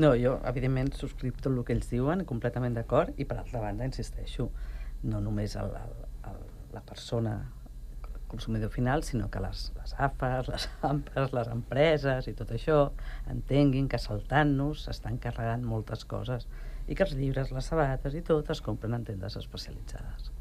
Speaker 14: No, jo, evidentment, subscric tot el que ells diuen, completament d'acord, i per altra banda, insisteixo, no només el, el, el, la persona consumidor final, sinó que les, les A F As, les AMPAs, les empreses i tot això entenguin que saltant-nos s'estan carregant moltes coses i que els llibres, les sabates i tot es compren en tendes especialitzades.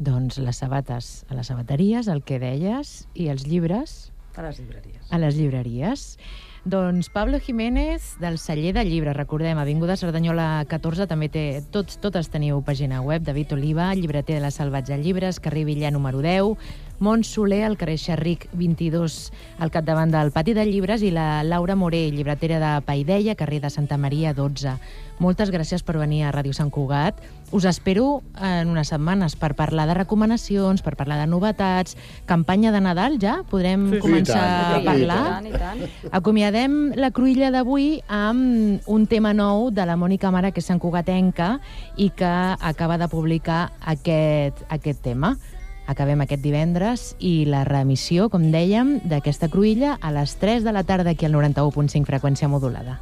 Speaker 10: Doncs les sabates a les sabateries, el que deies, i els llibres...
Speaker 14: A les llibreries.
Speaker 10: A les llibreries. Doncs Pablo Jiménez, del celler de llibres, recordem, Avinguda Cerdanyola catorze, també té, tots, totes teniu pàgina web, David Oliva, llibreter de la Salvatge Llibres, carrer Villà número deu, Mont Soler, al carrer Xerric vint-i-dos, al capdavant del Pati de Llibres, i la Laura Moré, llibretera de Paideia, carrer de Santa Maria dotze. Moltes gràcies per venir a Ràdio Sant Cugat. Us espero en unes setmanes per parlar de recomanacions, per parlar de novetats, campanya de Nadal, ja? Podrem sí, començar sí, a parlar?
Speaker 13: I tant, i tant.
Speaker 10: Acomiadem la cruïlla d'avui amb un tema nou de la Mònica Mara, que és santcugatenca, i que acaba de publicar aquest, aquest tema. Acabem aquest divendres i la reemissió, com dèiem, d'aquesta cruïlla a les tres de la tarda aquí al noranta-u punt cinc freqüència modulada.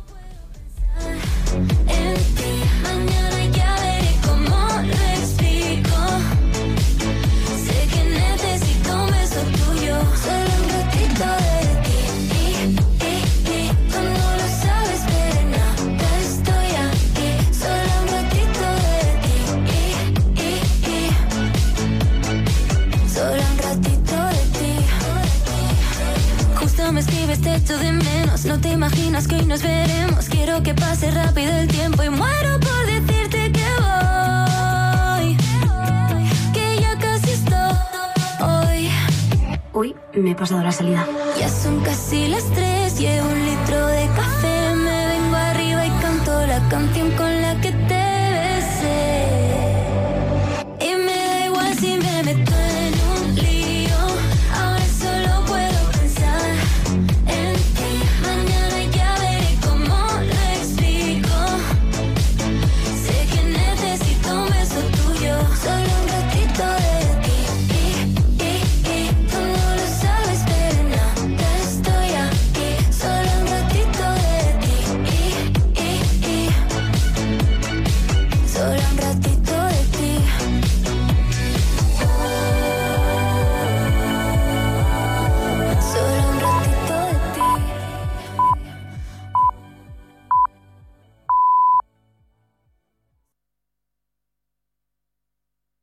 Speaker 15: Me escribes, te echo de menos. No te imaginas que hoy nos veremos. Quiero que pase rápido el tiempo y muero por decirte que voy, que ya casi estoy.
Speaker 16: Uy, me he pasado la salida.
Speaker 15: Ya son casi las tres, llevo un litro de café. Me vengo arriba y canto la canción con la que te besé. Y me da igual si me meto en un lío. Ahora solo puedo pensar en Solo un ratito